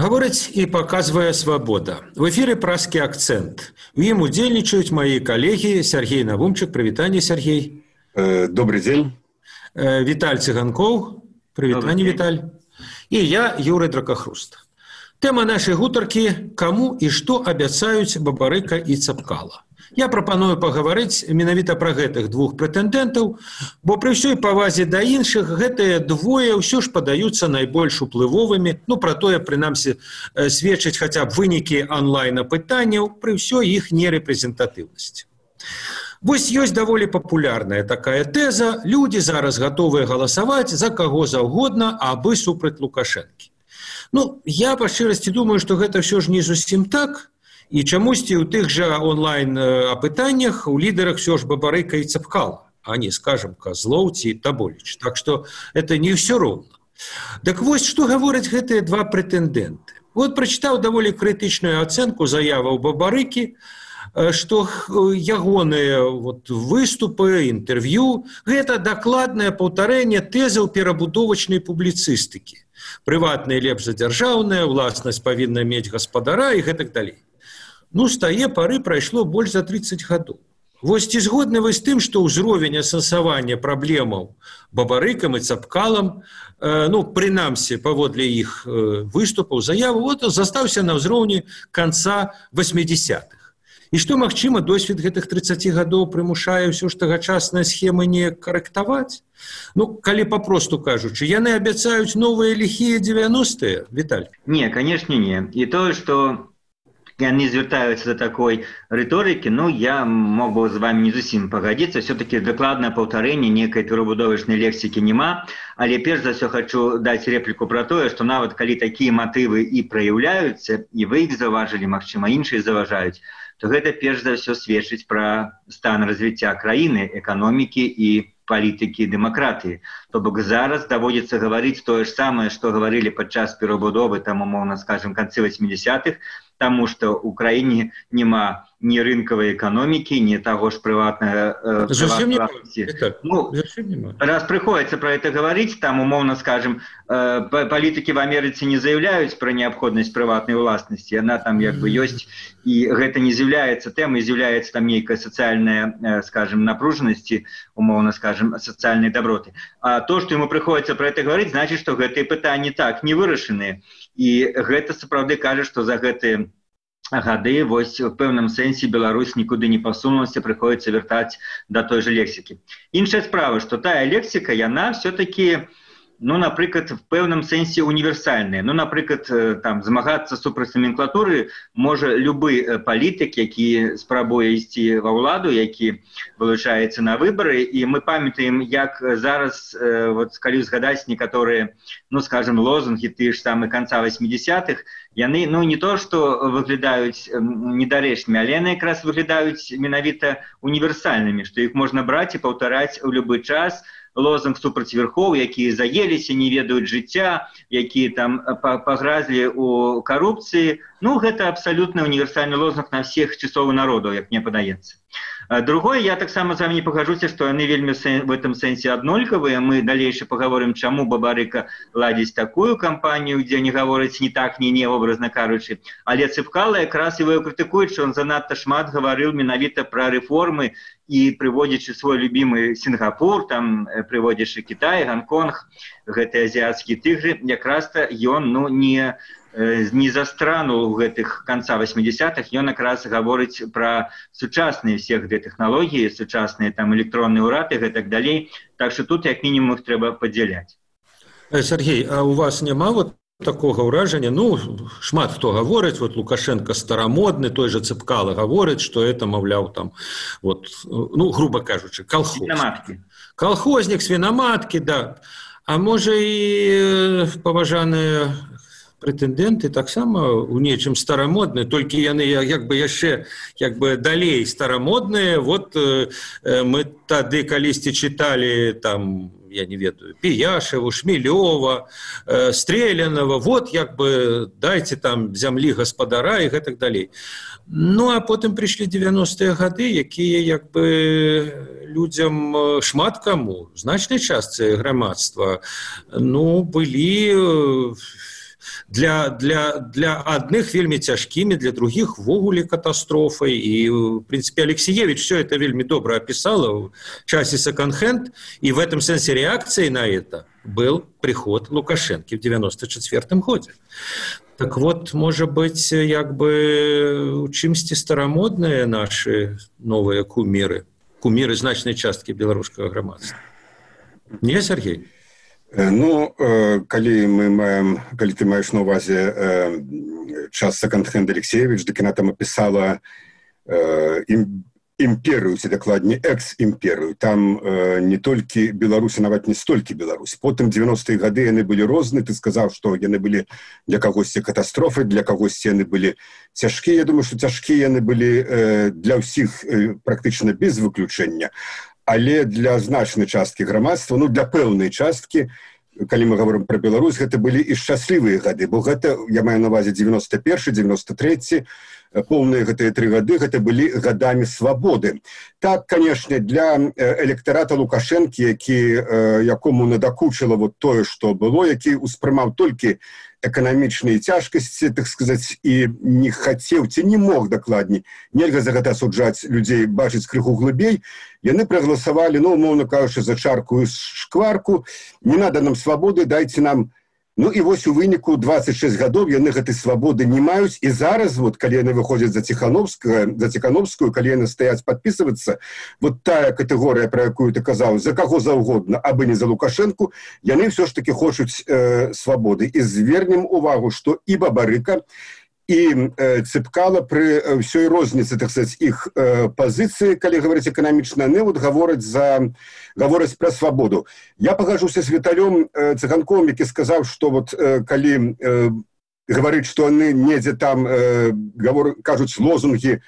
Гаворыць і паказвае свабода. В эфіры празкі акцэнт. У ім удзельнічаюць мае калегі Сергей Навумчык. Прывітанне, Сергей. Добрый день. Віталь Цыганкоў. Прывітанне, Віталь. І я, Юрый Дракахруст. Тэма нашай гутаркі – каму і што абяцаюць Бабарыка і Цапкала. Я прапаную пагаварыць менавіта пра гэтых двух прэтэндэнтаў, бо пры ўсёй павазе да іншых гэтыя двое ўсё ж падаюцца найбольш уплывовымі, пра тое, прынамсі, сведчаць хаця б вынікі онлайн-апытанняў пры ўсёй іх нерэпрэзентатыўнасці. Вось ёсць даволі папулярная такая тэза: людзі зараз гатовыя галасаваць за каго заўгодна, абы супраць Лукашэнкі. Я па шчырасці думаю, што гэта ўсё ж не зусім так. І чамусьці ў тых жа онлайн-апытаннях у лідарах ўсё ж Бабарыка і Цапкала, а не, скажем, Козлоў ці Таболіч. Так што это не ўсё роўна. Так вось, што гавораць гэтыя два прэтэндэнты. Вот прачытаў даволі крытычную ацэнку заяваў Бабарыкі, што ягоныя выступы, інтэрв'ю – гэта дакладнае паўтарэнне тэзаў перабудовачнай публіцыстыкі. Прыватнае лепш за дзяржаўнае, уласнасць павінна мець гаспадара і гэтак далей. З тае пары прайшло больш за 30 гадоў. Вось ці згодны вы з тым, што ўзровень асэнсавання праблемаў Бабарыкам і Цапкалам, прынамсі, паводле іх выступаў, заяваў, застаўся на ўзроўні канца 80-х. І што, магчыма, досвед гэтых 30 гадоў прымушае ўсё ж тагачасныя схемы не карэктаваць? Калі папросту кажучы, яны абяцаюць новыя ліхія 90-е, Віталь? Не, конечно, не. І тое, што яны звяртаюцца да такой рыторыкі, я мог бы з вами не зусім пагадзіцца, все-таки дакладнае паўтарэнне нейкай перабудовачнай лексікі няма, але перш за ўсё хочу даць рэпліку пра тое, што нават калі такія матывы і праяўляюцца, і вы іх заўважылі, магчыма, іншыя заўважаюць, то гэта перш за ўсё сведчыць пра стан развіцця краіны, эканомікі і палітыкі дэмакратыі. То бок зараз даводзіцца гаварыць тое ж самае, што гаварылі падчас перабудовы, умоўна скажем, канцы 80-х, таму што ў краіне няма ні рынкавай эканомікі, ні таго ж прыватнага... Раз прыходзіцца пра гэта гаварыць, умоўна скажем, палітыкі в Амерыцы не заяўляюць пра неабходнасць прыватнай уласнасці, яна ёсць, і гэта не з'яўляецца тэмай, з'яўляецца нейкая сацыяльная, скажем, напружанасці, умоўна скажем, сацыяльнай даброты. А то, што яму прыходзіцца пра гэта гаварыць, значыць, што гэтыя пытанні так не вырашаныя. І гэта сапраўды кажа, што за гэтыя гады вось у пэўным сэнсе Беларусь нікуды не пасунулася, прыходзіцца вяртаць да той жа лексікі. Іншая справа, што тая лексіка, яна все-таки, напрыклад, в пэўным сэнсе універсальная. Напрыклад, змагацца супраць номенклатуры можа любы палітык, які спрабуе ісці ва ўладу, які вылучаецца на выбары. І мы памятаем, як зараз, калі згадаць некаторыя, скажем, лозунгі тыя ж самыя канца 80-х, яны, не то, што выглядаюць недарэчнымі, але яны якраз выглядаюць менавіта універсальнымі, што іх можна браць і паўтараць у любы час. Лозунг супраць верхоў, якія заеліся, не ведаюць жыцця, якія пагразлі ў карупцыі. Гэта абсалютна універсальны лозунг на всех часоў народаў, як мне падаецца. Другое, я таксама з вами не пагажуся, што яны вельмі в этом сэнсе аднолькавыя. Мы далейше паговорым, чаму Бабарыка ладзіць такую кампанію, дзе не гаворыць ні так, ні не, образна кажучы. Але Цапкала якраз его крытыкуюць, што ён занадта шмат гаварыў менавіта пра рэформы і прыводзячы свой любімы Сінгапур, прыводзячы Кітай, Гонконг, гэтыя азіяцкія тыгры, якраз-то ён не застранул у гэтых канца 80-х, ён якраз гаворыць пра сучасныя всех тэхналогіі, сучасныя электронны ўрад і гэтак далей. Так што тут як мінімум іх трэба падзяляць. Сергей, а у вас няма такога ўражання? Шмат хто гаворыць, Лукашенко старамодны, той жа Цапкала гаворыць, што это, маўляў, груба кажучы, колхознік, свінаматкі, да. А можа і паважаныя прэтэндэнты таксама у нечым старамодныя, толькі яны яшчэ далей старамодныя. Мы тады калісьці чыталі я не ведаю, Пияшеву, Шмілёва, Стрелянова, дайце зямлі гаспадара і гэтак далей. А потым прыйшлі 90-е гады, якія людзям, шмат каму, значнай частцы грамадства, былі Для адных вельмі цяжкімі, для других ввогуле катастрофай. І, в принципе, Алексеевич все это вельмі добра описала в часе секонд-хенд, и в этом сенсе реакцией на это был приход Лукашенко в 94 году. Так вот, может быть, як бы чимсьці старомодные наши новые кумиры значной частки белорусского громадства. Не, Сергей? Ну, калі ты маеш на увазе час секонд-хенд Алексеевич, дык яна там опісала імперыю, ці дакладней экс-імперыю. Там не толькі Беларусі, нават не столькі Беларусь. Потым 90-е гады яны былі розныя. Ты сказаў, што яны былі для кагосьці катастрофы, для кагосьці яны былі цяжкія. Я думаю, што цяжкія яны былі для ўсіх практычна без выключэння. Але для значнай часткі грамадства, ну для пэўнай часткі, калі мы говорим про Беларусь, гэта былі і шчаслівыя гады, бо гэта, я маю на увазе 91, 93, полные гэтыя 3 гады, гэта былі гадамі свабоды. Так, конечно, для электарата Лукашэнкі, якому надакучыла вот тое, што было, які успрымаў толькі эканамічныя цяжкасці, так сказаць, і не хацеў, ці не мог дакладней, нельга за гэта асуджаць людзей, бачыць крыху глыбей, яны прагаласавалі, ну, умоўна кажучы, за чарку і шкварку, не надо нам свабоды, дайце нам. Ну і вось у выніку 26 гадоў яны гэтай свабоды не маюць, і зараз, вот, калі яны выходзяць за Ціхановскую, калі яны стаяць падпісвацца, вот тая катэгорыя, про якую ты казаў, за каго заўгодна, абы не за Лукашэнку, яны ўсё ж таки хочуць свабоды. І звернем увагу, што і Бабарыка, і Цыпкала пры ўсёй розніцы, так сказаць, іх пазіцыі, калі гаварыць эканамічна, яны вот гавораць пра свабоду. Я пагажуся з Віталём Цыганковым, які сказаў, што вот калі гаварыць, што яны недзе там кажуць лозунгі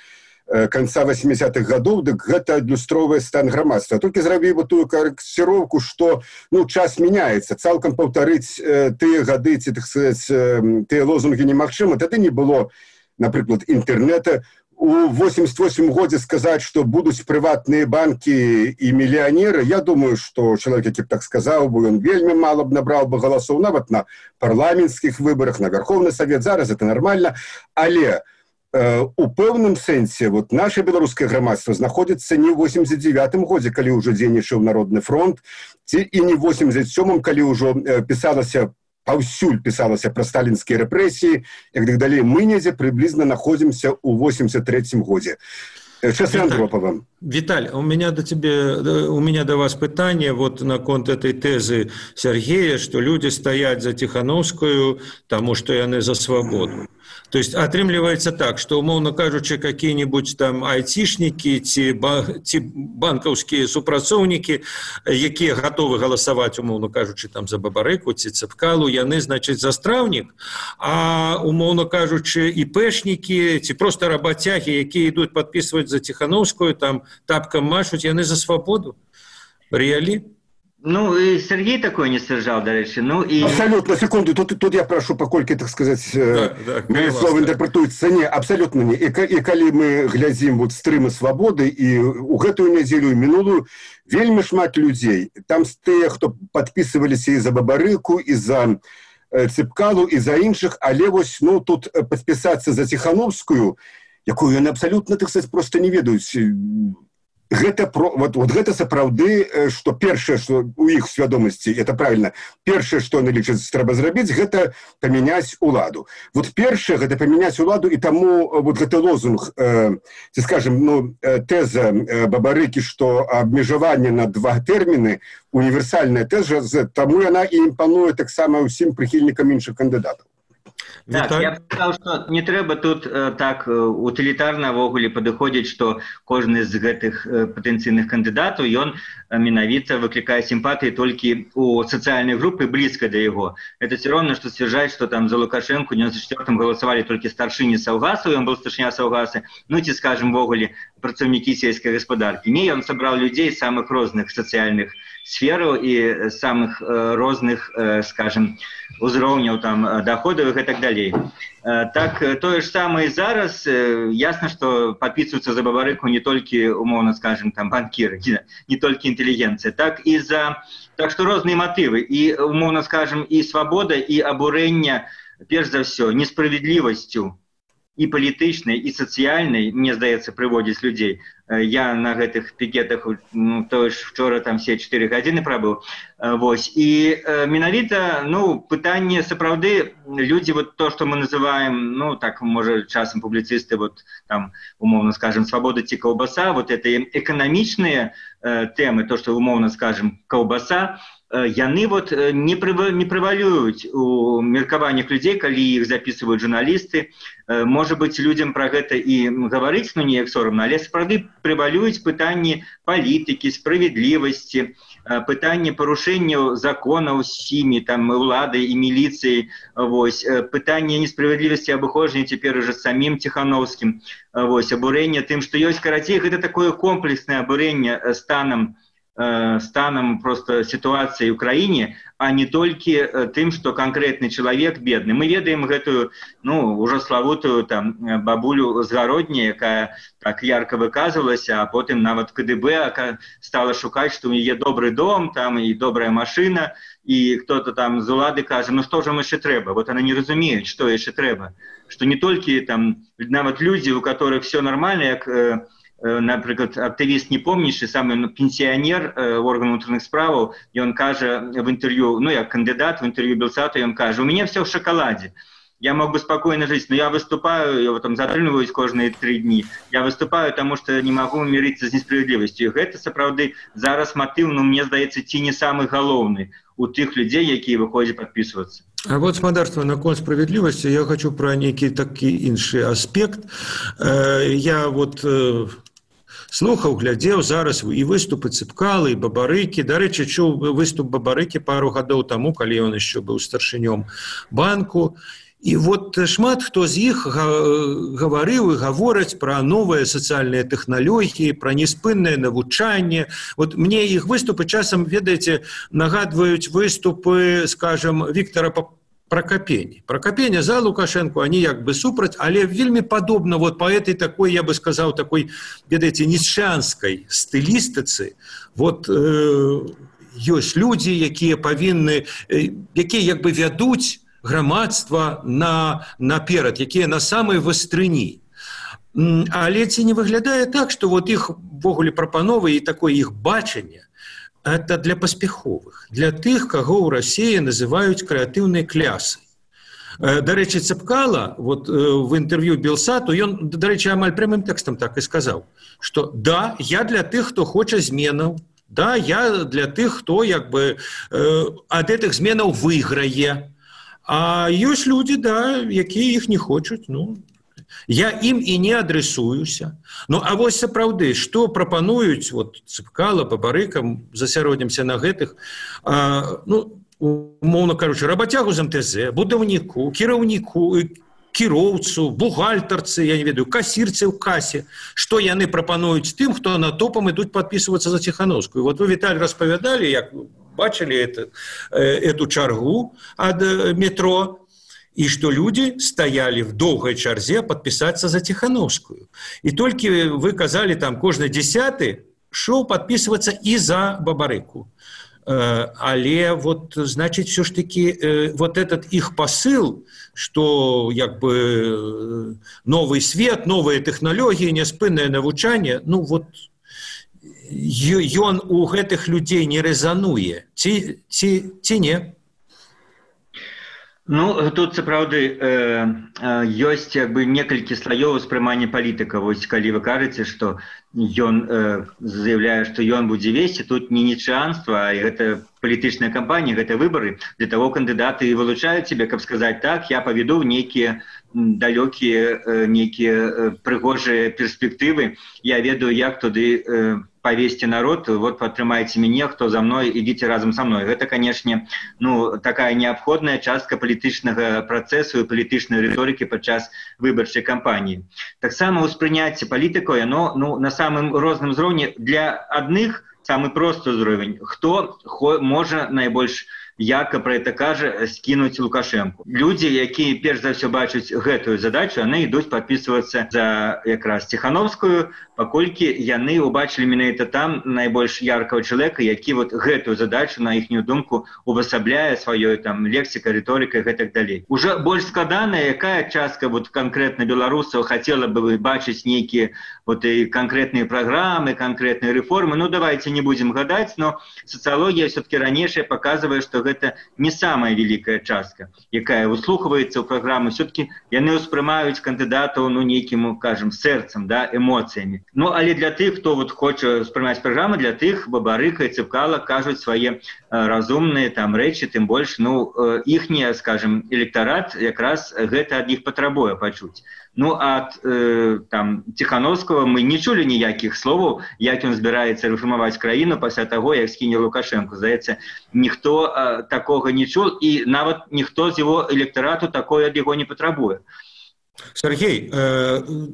конца 80-х гадоў, дык гэта адлюстроўвае стан грамадства. Толькі зрабіў бы тую карэкціроўку, што ну, час мяняецца, цалкам паўтарыць тыя гады, ці, так сказаць, тыя лозунгі немагчыма. Тады не было, напрыклад, інтэрнета. У 88 годзе сказаць, што будуць прыватныя банкі і мільянеры, я думаю, што чалавек, які б так сказаў, бо ён вельмі мала б набраў бы галасоў, нават на парламенцкіх выбарах, на Верховны Савет, зараз это нармальна, але у пэўным сэнсе вот наше беларускае грамадства знаходзіцца не ў 89-м годзе, калі ўжо дзейнічаў Народны фронт, ці і не ў 87-м, калі ўжо паўсюль пісалася пра сталінскія рэпрэсіі, як так далей. Мы недзе прыблізна находзімся ў 83-м годзе. Часы Андропова. Виталь, у меня до вас пытание вот на конт этой тезы Сергея, что люди стоят за Тихановскую, потому что яны за свободу. То есть отрымливается так, что, умовно кажучи, какие-нибудь там айтишники, ці банковские супрацоўнікі, якія готовы голосовать, умовно кажучи, там за Бабарыку, ці Цыпкалу, яны, значит, за Стравник, а, умовно кажучи, ИПшники, ці просто работяги, якія идут подписывать за Тихановскую, там тапком машут, яны за свободу. Реали? Ну, и Сергей такой не сержал, до речі. Ну, и... Абсолютно, секунду, тут я прошу, покольки, так сказать, мои слова интерпретуюцца. Не, абсолютно не. И калі мы глядзім вот стрымы свободы, и у гэтую нядзелю, и минулую, вельмі шмат людзей. Там тыя, хто подписываліся и за Бабарыку, и за Цыпкалу, и за іншых, але вось, ну, тут подписаться за Тихановскую, якую яны абсолютно, так сказать, просто не ведаюць. Гэта гэта сапраўды, што першае, што у іх свядомасці, это правильно, першае, што яны лічаць трэба зрабіць, гэта памяняць уладу. Вот першае, гэта памяняць уладу, і таму вот гэты лозунг, ці скажем, ну, тэза Бабарыкі, што абмежаванне на 2 тэрміны, універсальная тэза, таму яна і імпануе таксама ўсім прыхільнікам іншых кандыдатаў. Так, я б сказаў, што не трэба тут так утылітарна ввогуле падыходзіць, што кожны з гэтых патэнцыйных кандыдатаў, ён менавіта выклікае сімпатыі толькі у сацыяльнай групы блізка да яго. Это все равно, што сцвярджаць, што там за Лукашэнку ў 94-м галасавалі толькі старшыні Саўгасу, ён быў старшыня Саўгасы, ну ці, скажем, ввогуле працаўнікі сельскай гаспадаркі. Не, ён сабраў людзей з самых розных сацыяльных сфераў і самых розных, скажем, узроўняў там доходаў і так далей. Так, тое ж самае зараз, ясна, што падпісваюцца за Бабарыку не толькі, умоўна скажем, там банкіры, не толькі інтэлігенцыя, так што розныя матывы, і, умоўна скажем, і свабода, і абурэнне перш за ўсё несправядлівасцю і палітычнай, і сацыяльнай, мне здаецца, прыводзіць людзей. Я на гэтых пікетах, то ж вчора там все 4 гадзіны прабыў. Вось. І менавіта, пытанне сапраўды, людзі, вот то, што мы называем, так, можа, часам публіцысты, вот там, умоўна скажем, свабода ці каўбаса, вот это эканамічныя тэмы, то, што умоўна скажем, каўбаса, яны вот не прывалююць у меркаваннях людзей, калі іх записываюць журналісты. Можа быць, людзям пра гэта і гаварыць, неяк сорамна, але сапраўды прывалююць пытанні палітыкі, справядлівасці, пытанне парушэнняў законаў сімі, там, уладай і міліцыяй, вось, пытанне несправядлівасці абыходжання цяпер уже самім Ціхановскім, вось, абурэнне тым, што ёсць, карацей, гэта такое комплекснае абурэнне станом просто ситуации в Украине, а не только тем, что конкретный человек бедный. Мы ведаем эту, уже славутую там бабулю з Гародні, якая так ярко выказывалась, а потом нават КДБ стала шукать, что у нее добрый дом, там и добрая машина, и кто-то там з улады каже, что же им еще треба? Вот она не разумеет, что еще треба. Что не только там нават люди, у которых все нормально, как например, активист не помнишь, самый пенсионер органов внутренних справ, и он каже в интервью, я кандидат в интервью Белсату, и он каже, у меня все в шоколаде. Я мог бы спокойно жить, но я выступаю, я там затрымліваюсь кожные 3 дни. Я выступаю, потому что не могу мириться с несправедливостью. И это, сапраўды, зараз мотив, мне здаецца, ці не самый галоўны у тых людей, якія выходят подписываться. А вот, спадарства, наконт справедливости, я хочу про некий такі іншы аспект. Я вот слухаў, глядзеў зараз і выступы Цыпкалы, і Бабарыкі. Дарэчы, чуў выступ Бабарыкі пару гадоў таму, калі ён яшчэ быў старшынём банку. І вот шмат хто з іх гаварыў і гавораць пра новыя сацыяльныя тэхналогіі, пра неспыннае навучанне. Вот мне іх выступы часам, ведаеце, нагадваюць выступы, скажем, Віктора Прокопения. Прокопения за Лукашенко, они як бы супраць, але вельмі падобна вот по этой такой, я бы сказал, такой, ведаеце, ніцшанскай стылістыцы. Вот ёсць людзі, якія павінны, якія як бы вядуць грамадства наперад, якія на самай вастрыні. Але ці не выглядае так, што вот іх ввогуле прапановы і такое іх бачанне, это для паспяховых, для тых, каго ў Расіі называюць крэатыўнай клясай. Дарэчы, Цыпкала вот, в інтэрв'ю Белсату, ён, дарэчы, амаль прямым тэкстам так і сказаў, што да, я для тых, хто хоча зменаў, да, я для тых, хто як бы ад гэтых зменаў выйграе, а ёсць людзі, да, якія іх не хочуць, я ім і не адресуюся. А вось сапраўды, што прапануюць вот, Цыпкала, Бабарыка, засяродзімся на гэтых, умоўна кажучы, рабацягу з МТЗ, будаўніку, кіраўніку, кіроўцу, бухгалтарцы, я не ведаю, касірцы ў касе, што яны прапануюць тым, хто на топам ідуць падпісвацца за Ціхановскую. Вот вы, Віталь, распавядалі, як бачылі эту чаргу ад метро, и что люди стояли в долгой чарзе подписаться за Тихановскую. И только вы казали, там, кожны 10-й шел подписываться и за Бабарыку. Але вот, значит, все ж таки вот этот их посыл, что як бы новый свет, новые технологии, неспынное навучание, вот ён у гэтых людей не резануе. Ці не? Тут сапраўды ёсць як бы некалькі слаёў успрымання палітыка. Вось калі вы кажаце, што ён заявляе, што ён будзе весці, тут не ніцшанства, а гэта палітычная кампанія, гэта выбары. Для таго кандыдаты і вылучаюць себе, каб сказаць так, я паведу нейкія далёкія, нейкія прыгожыя перспектывы, я ведаю, як туды повесьте народ, вот падтрымайце мяне, хто за мной, ідзіце разам са мной. Гэта, канешне, такая неабходная частка палітычнага працэсу і палітычнай рыторыкі падчас выбарчай кампаніі. Таксама ўспрыняцце палітыкаў, яно на самым розным узроўні. Для адных самы просты ўзровень, хто можа найбольш як пра гэта кажа, скінуць Лукашэнку. Людзі, якія перш за ўсё бачаць гэтую задачу, яны ідуць падпісвацца за якраз Ціхановскую, паколькі яны ўбачылі менавіта там найбольш яркага чалавека, які вот гэтую задачу, на іхнюю думку, увасабляе сваёй там лексікай, рыторыкай і гэтак далей. Уже больш складаная, якая частка вот канкрэтна беларусаў хацела бы бачыць нейкія вот і канкрэтныя праграмы, канкрэтныя рэформы. Ну, давайте не будем гадаць, но сацыялогія все-таки ранейшая показывае, што гэта не самая великая частка, якая услухваецца ў праграмы. Все-таки яны ўспрымаюць кандыдатаў, ну, нейкім, кажем, сэрцам, да, эмоцыямі. Ну, але для тых, хто вот хоча ўспрымаць праграмы, для тых Бабарыка і Цыпкала кажуць свае разумныя там рэчы, тым больш, ну, іхні, скажем, электарат якраз гэта ад іх патрабуе пачуць. Ну, ад там Ціхановскага мы не чулі ніякіх словаў, як ён збіраецца рэформаваць краіну пасля таго, як скіне Лукашэнку. Здаецца, ніхто такога не чул, і нават ніхто з яго электарату такое ад яго не патрабуе. Сергей,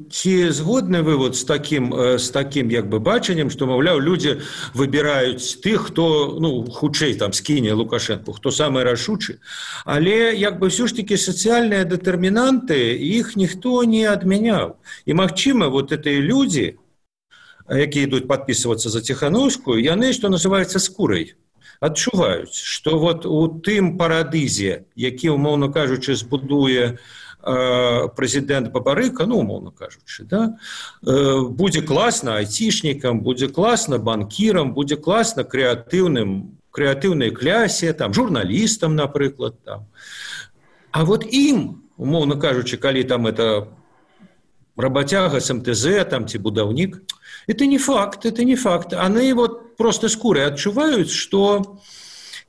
ці згодны вы вот з такім як бы бачаннем, што, маўляў, людзі выбіраюць тых, хто, ну, хутчэй там скіне Лукашэнку, хто самы рашучы, але як бы ўсё ж такі сацыяльныя дэтэрмінанты, іх ніхто не адмяняў. І магчыма, вот гэтыя людзі, якія ідуць падпісвацца за Ціхановскую, яны, што называецца, скурай адчуваюць, што вот у тым парадызе, які, умоўна кажучы, збудуе прэзідэнт Бабарыка, ну, умоўна кажучы, да, будзе класна айцішнікам, будзе класна банкірам, будзе класна крэатыўнай клясе, там, журналістам, напрыклад, там. А вот ім, умоўна кажучы, калі там это работяга з МТЗ, там, ці будаўнік, это не факт. Они вот просто скурай адчуваюць, што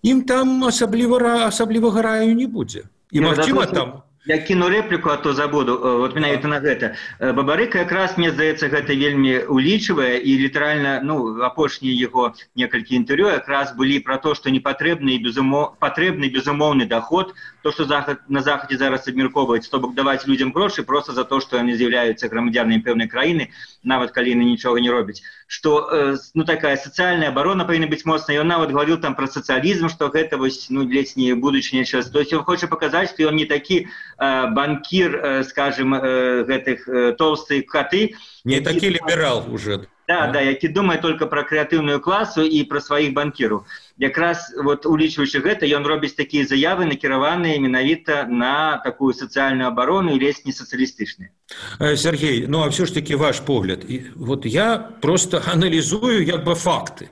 ім там асаблівага раю не будзе. І, магчыма, там... Я кіну рэпліку, а то забуду, вот менавіта на гэта. Бабарыка якраз, мне здаецца, гэта вельмі улічвае, і літаральна, ну, апошнія яго некалькі інтэрв'ю якраз былі пра то, што непатрэбны безумоўны доход, то, што на Захадзе зараз абмяркоўваюць, то бок даваць людзям грошы просто за то, што яны з'яўляюцца грамадзянамі пэўнай краіны, нават калі яны нічога не робяць. Што, ну, такая сацыяльная абарона павінна быць моцная. Ён нават гаварыў там пра сацыялізм, што гэта вось, ну, ледзь не будучыня час. То есть ён хоча паказаць, што ён не такі банкір, скажем, гэтых толстых коты. Не такі ліберал уже. Да, які думае только пра крэатыўную класу і пра сваіх банкіраў. Якраз, вот, улічваючы гэта, ён робіць такія заявы, накіраваныя менавіта на такую сацыяльную абарону і ледзь не сацыялістычныя. Сергей, ну а все ж таки ваш погляд. Вот я просто анализую як бы факты.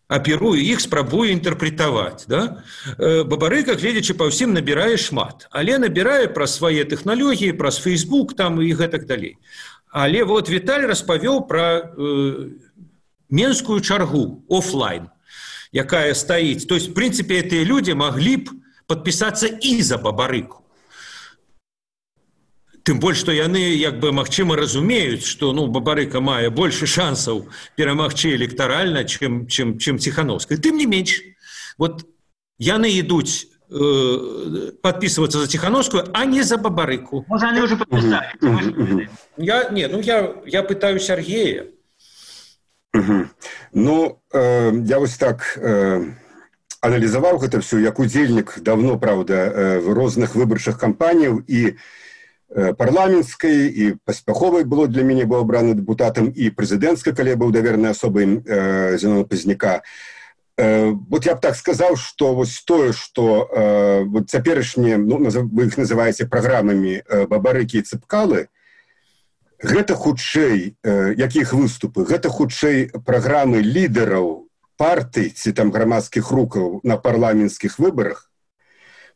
Аперую іх, спрабую інтэрпрэтаваць. Да? Бабарыка, гледзячы па ўсім, набірае шмат. Але набірае праз свае тэхналогіі, праз Facebook там і гэтак далей. Але вот Віталь распавёў пра менскую чаргу, офлайн, якая стаіць. То есть, в принципе, гэтыя людзі маглі б падпісацца і за Бабарыку. Тым больш, што яны, як бы, магчыма, разумеюць, што, ну, Бабарыка мае больше шансаў перамагчы электаральна, чым Ціхановская. Тым не менш, вот яны ідуць подписываться за Ціхановскую, а не за Бабарыку. Может, они уже подписали? Я пытаю Сергея. Ну, я вось так аналізаваў гэта все, як удзельнік давно, правда, в розных выбарчых кампаніяў і парламенцкай, і паспяховай было для мяне, быў абраны дэпутатам, і прэзідэнцкай, калі я быў давернай асобай Зенона Пазняка. Вот я б так сказаў, што вось тое, што вот цяперашнія, ну, вы іх называеце праграмамі Бабарыкі і Цыпкалы, гэта хутчэй, якіх выступы, гэта хутчэй праграмы лідараў партый ці там грамадскіх рухаў на парламенцкіх выбарах,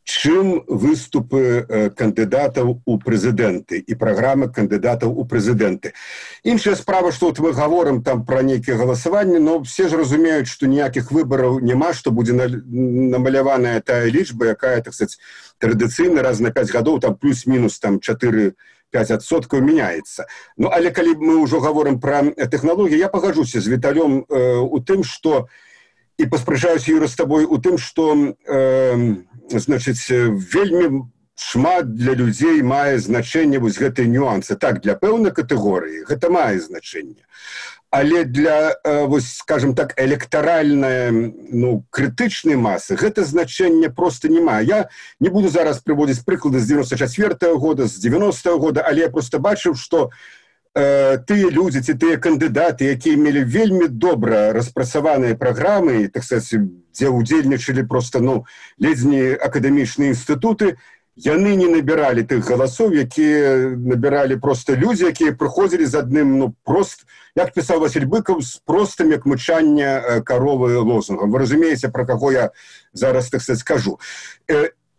чым выступы кандыдатаў у прэзідэнты і праграмы кандыдатаў у прэзідэнты. Іншая справа, што вот мы гаворым там пра нейкія галасаванні, но все ж разумеюць, што ніякіх выбараў няма, што будзе намаляваная тая лічба, якая, так сказать, традыцыйна раз на 5 гадоў там плюс-мінус там 4-5% мяняецца. Ну, але калі мы ўжо гаворым пра тэхналогіі, я пагаджуся з Віталём у тым, што і паспрачаюся, Юра, з табой у тым, што значыць, вельмі шмат для людзей мае значэнне вось гэтыя нюансы. Так, для пэўнай катэгорыі гэта мае значэнне. Але для, скажем так, электаральнай, крытычнай масы гэта значэнне просто не мае. Я не буду зараз прыводзіць прыклады з 94-го года, з 90-го года, але я просто бачыў, што тыя людзі ці тыя кандыдаты, якія мелі вельмі добра распрацаваныя праграмы, так сказать, дзе ўдзельнічалі просто, ледзь не акадэмічныя інстытуты, яны не набіралі тых галасоў, якія набіралі просто людзі, якія прыходзілі з адным, як пісаў Васіль Быкаў, з простым, як мычання каровы лозунгам. Вы разумееце, пра каго я зараз, так сказать, скажу.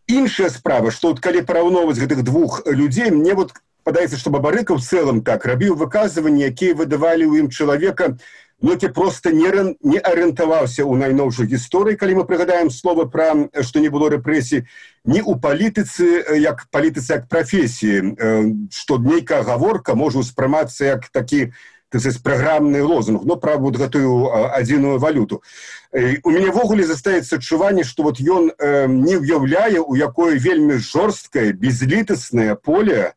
Іншая справа, што калі параўноўваць гэтых двух людзей, мне падаецца, што Бабарыка ў цэлым так рабіў выказванні, якія выдавалі ў ім чалавека, які просто не арыентаваўся ў найноўшай гісторыі, калі мы прыгадаем слова пра, што не было рэпрэсій, не ў палітыцы як прафесіі, што нейкая гаворка можа ўспрымацца як такі, так сказать, праграмны лозунг, пра гэтую адзіную валюту. У мяне ввогуле застаецца адчуванне, што ён не ўяўляе, у якое вельмі жорсткае, безлітаснае поле,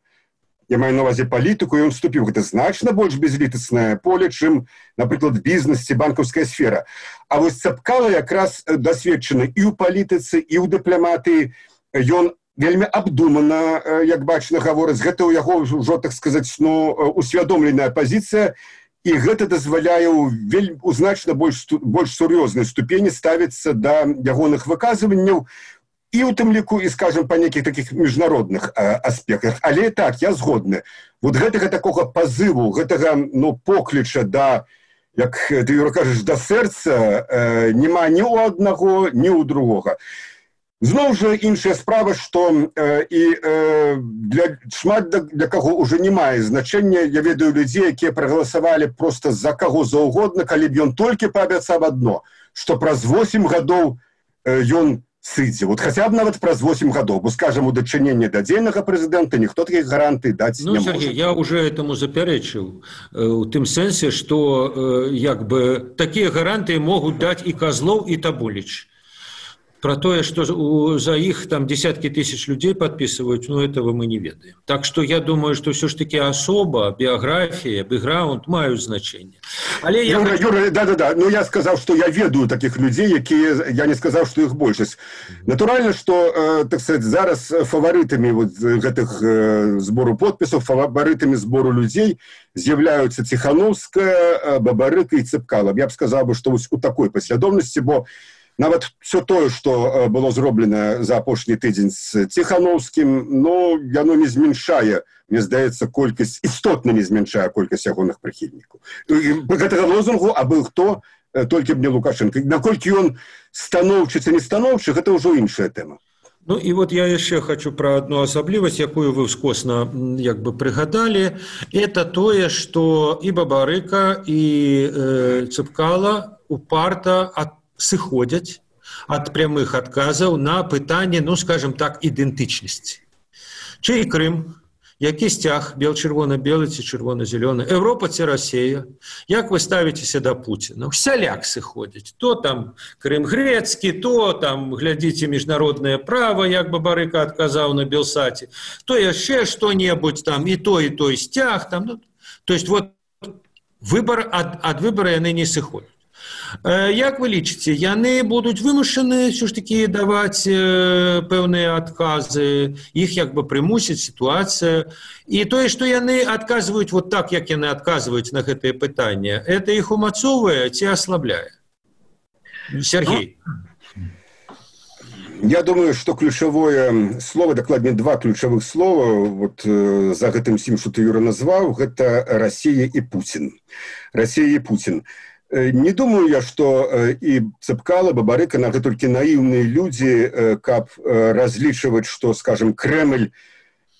я маю на ўвазе палітыку, і ён вступіў. Гэта значна больш безлітаснае поле, чым, напрыклад, бізнес ці банкаўская сфера. А Цапкала якраз дасведчаны і ў палітыцы, і ў дыпламатыі. Ён вельмі абдумана, як бачна, гаворыць. Гэта ў яго ўжо, так сказаць, усвядомленая пазіцыя, і гэта дазваляе у значна больш сур'ёзнай ступені ставіцца да ягоных выказванняў, і ў тым ліку, і, скажем, па нейкіх такіх міжнародных аспектах. Але так, я згодны. Гэтага такога пазыву, гэтага, покліча да, як ты, Юра, кажаш, да сэрца няма ні ў аднаго, ні ў другога. Зноў жа іншая справа, што шмат для каго ўжо не мае значэння. Я ведаю людзей, якія прагаласавалі проста за каго заўгодна, калі б ён толькі паабяцаў адно, што праз 8 гадоў ён сыдзе. Хаця б нават праз 8 гадоў, бо, скажам, у дачыненні да дзейнага прэзідэнта ніхто такіх гарантый даць не можа. Сергей, я уже этому запярэчыў у тым сэнсе, што такія гарантыі могуць даць і Козлов, і Табуліч. Про тое, што за іх там десяткі тысяч людзей падпісваюць, этого мы не ведаем. Так што я думаю, што ўсё ж такі асоба, біяграфія, бэкграунд маюць значэнне. Але Юра, да. Я сказаў, што я ведаю такіх людзей, якія, я не сказаў, што іх большасць. Натуральна, што, так сказать, зараз фаварытамі гэтых збору подпісаў, фаварытамі збору людзей з'яўляюцца Ціхановская, Бабарыка і Цапкала. Я б сказаў, што у такой паслядоўнасці, бо нават все тое, што было зроблена за апошні тыдзень з Ціхановскім, яно не зменшае, мне здаецца, істотна не зменшае колькасць ягоных прыхільнікаў. Гэтага лозунгу, абы хто, толькі б не Лукашенко. Наколькі ён станоўчы ці не станоўчы, гэта ўжо іншая тэма. І я яшчэ хочу пра адну асаблівасць, якую вы ўскосна прыгадалі. Это тое, што і Бабарыка, і Цапкала упарта сыходзяць ад прямых адказаў на пытанне, скажем так, ідэнтычнасці. Чый Крым, які сцяг, бел-чырвона-белы ці чырвона-зялёны, Еўропа ці Расія, як вы ставіцеся да Пуціна? Усяляк сыходзяць. То там Крым грэцкі, то там, глядзіце, міжнароднае права, як Бабарыка адказаў на Белсаце, то яшчэ што-небудзь там, і той сцяг. То есть ад выбара яны не сыходзяць. Як вы лічыце, яны будуць вымушаны ўсё ж такі даваць пэўныя адказы, іх прымусіць сітуацыя, і тое, што яны адказваюць так, як яны адказваюць на гэтыя пытанні, это іх умацоўвае ці аслабляе? Сергей. Я думаю, што ключавое слово, дакладней два ключавых слова за гэтым всім, што ты, Юра, назваў, гэта Расія і Пуцін. Расія і Пуцін. Не думаю я, што і Цапкала, Бабарыка, гэта толькі наіўныя людзі, каб разлічваць, што, скажем, Крэмль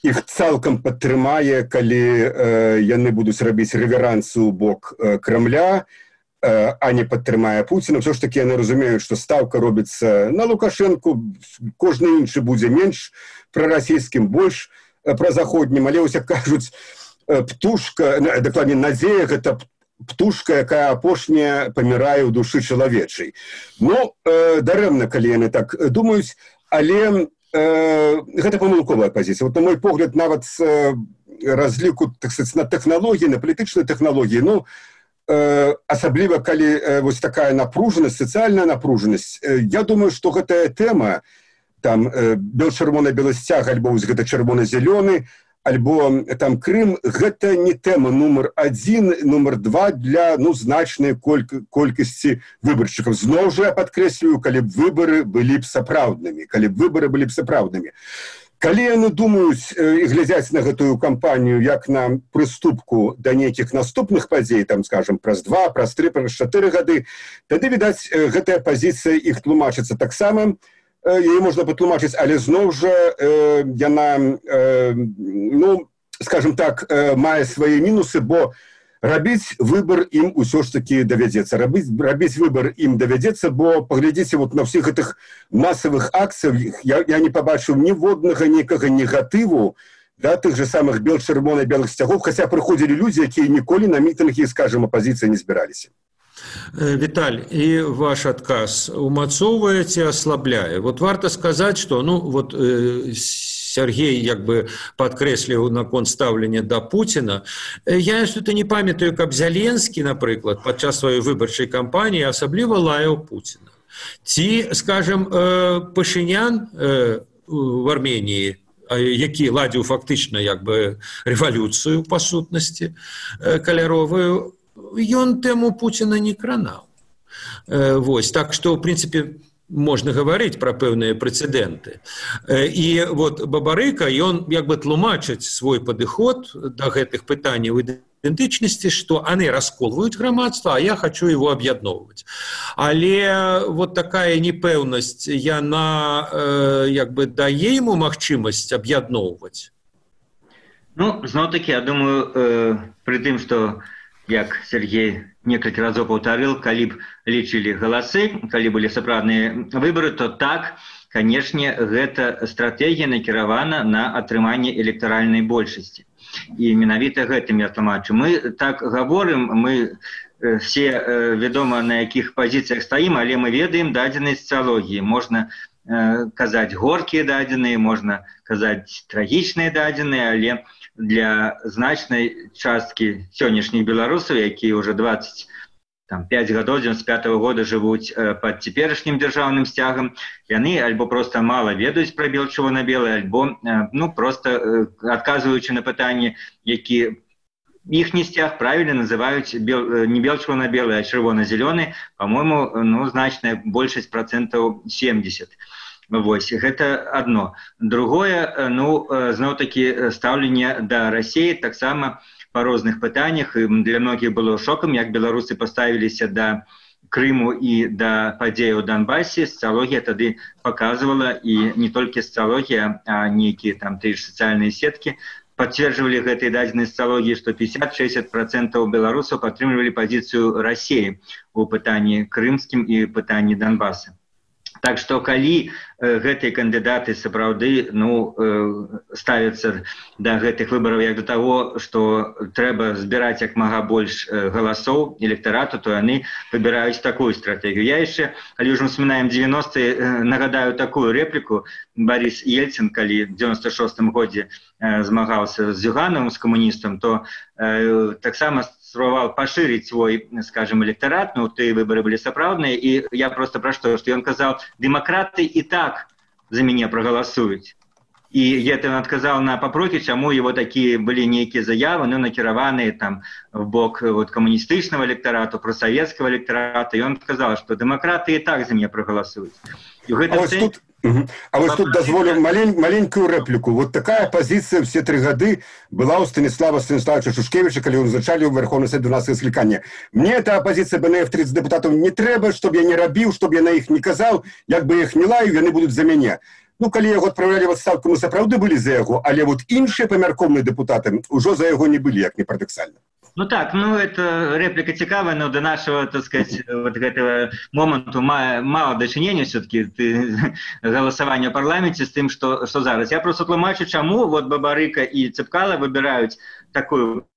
іх цалкам падтрымае, калі яны будуць рабіць рэверансы ў бок Крамля, а не падтрымае Пуціна. Ўсё ж такі яны разумеюць, што стаўка робіцца на Лукашэнку, кожны іншы будзе менш прарасійскім, больш празаходнім, але як кажуць, птушка, дакладней, надзея, гэта птушка, якая апошняя памірае ў душы чалавечай. Дарэмна, калі яны так думаюць, але гэта памылковая пазіцыя. На мой погляд, нават з разліку, так сказаць, на тэхналогіі, на палітычнай тэхналогіі, асабліва калі вось такая напружанасць, сацыяльная напружанасць, я думаю, што гэтая тэма там бел-чырвона-белы сцяг альбо вось гэта чырвона-зялёны, альбо там Крым, гэта не тэма нумар 1, нумар 2 для значнай колькасці выбаршчыкаў. Зноў жа я падкрэслюю, калі б выбары былі б сапраўднымі, Калі яны думаюць і глядзяць на гэтую кампанію як на прыступку да нейкіх наступных падзей, там, скажем, праз 2, праз 3, праз 4 гады, тады, відаць, гэтая пазіцыя іх тлумачыцца таксама, яе можна патлумачыць, але зноў жа яна, скажем так, мае свае мінусы, бо рабіць выбар ім усё ж такі давядзецца. Рабіць выбар ім давядзецца, бо паглядзіце вот на ўсіх гэтых масавых акцыях, я не пабачыў ніводнага нейкага негатыву да тых же самых бел-чырвона-белых сцягоў, хаця прыходзілі людзі, якія ніколі на мітынгі, скажем, апазіцыі не збіраліся. Віталь, і ваш адказ умацоўвае ці аслабляе? Вот варта сказаць, што Сергей як бы падкрэсліў наконт стаўлення да Пуціна. Я что-то не памятаю, каб Зеленскі, напрыклад, падчас сваёй выбарчай кампаніі асабліва лаяў Пуціна. Ці, скажем, Пашынян в Арменіі, які ладзіў фактычна як бы рэвалюцыю, па сутнасці, каляровую, ён тэму Пуціна не кранаў. Вось, так што, в прынцыпе, можна гаварыць пра пэўныя прэцэдэнты. І вот Бабарыка, ён як бы тлумачыць свой падыход да гэтых пытанняў ідэнтычнасці, што яны расколваюць грамадства, а я хочу его аб'ядноўваць. Але вот такая непэўнасць, яна як бы дае яму магчымасць аб'ядноўваць? Зноў-такі, я думаю, пры тым, што як Сергей некалькі разоў паўтарыў, калі б лічылі галасы, калі былі сапраўдныя выбары, то так, канешне, гэта стратэгія накіравана на атрыманне электаральнай большасці. І менавіта гэтым я тлумачу. Мы так гаворым, мы все вядома, на якіх пазіцыях стаім, але мы ведаем дадзеныя сацыялогіі. Можна казаць горкія дадзеныя, можна казаць трагічныя дадзеныя, але для значнай часткі сённяшніх беларусаў, якія ўжо 25 гадоў, 95-го года жывуць пад цяперашнім дзяржаўным сцягам, яны альбо проста мала ведаюць пра бел-чырвона-белы, альбо проста адказваючы на пытанні, які іхні сцяг правільна называюць не бел-чырвона-белы, а чырвона-зялёны, па-мойму, значная большасць процентаў 70. Вось, гэта адно. Другое, зноў-такі стаўленне да Расіі таксама па розных пытаннях. Для многіх было шокам, як беларусы паставіліся да Крыму і да падзеяў у Донбасе. Сацыялогія тады паказвала, і не толькі сацыялогія, а нейкія там тыя ж сацыяльныя сеткі пацверджвалі гэтай дадзенай сацыялогіі, што 50-60% беларусаў падтрымлівалі пазіцыю Расіі у пытанні крымскім і пытанні Донбаса. Так што, калі гэтыя кандыдаты сапраўды ставяцца да гэтых выбараў як да таго, што трэба збіраць як мага больш галасоў электарату, то яны выбіраюць такую стратэгію. Я яшчэ, калі ўжо ўспамінаем 90-е, нагадаю такую рэпліку. Борис Ельцин, калі в 96-м годзе змагаўся з Зюгановым, з камуністам, то таксама спрабаваў пашырыць свой, скажем, электарат, тыя выбары былі сапраўдныя, і я просто пра што ён казаў, дэмакраты і так за мяне прагаласуюць. І гэта ён адказаў на папрокі, чаму его такія былі нейкія заявы, накіраваныя там в бок камуністычнага электарату, прасавецкага электарата, і ён сказаў, што дэмакраты і так за мяне прагаласуюць. А вось тут дазволю маленькую рэпліку. Вот такая пазіцыя все 3 гады была у Станіслава Станіславовича Шушкевича, калі ён узначаліў Верховны Совет 12 склікання. Мне эта апозіцыя БНФ 30 дэпутатаў не трэба, чтоб я не рабіў, чтоб я на іх не казаў, як бы іх не лаю, яны будуць за мяне. Калі яго адпраўлялі в адстаўку, мы сапраўды былі за яго, але вот іншыя памяркоўныя дэпутаты ўжо за яго не былі, як не парадаксальна. Это реплика цікавая, но до нашего, так сказать, вот этого моменту мало дачынення все-таки голосования в парламенте с тем, что зараз. Я просто тлумачу, чему вот Бабарыка и Цепкало выбирают такую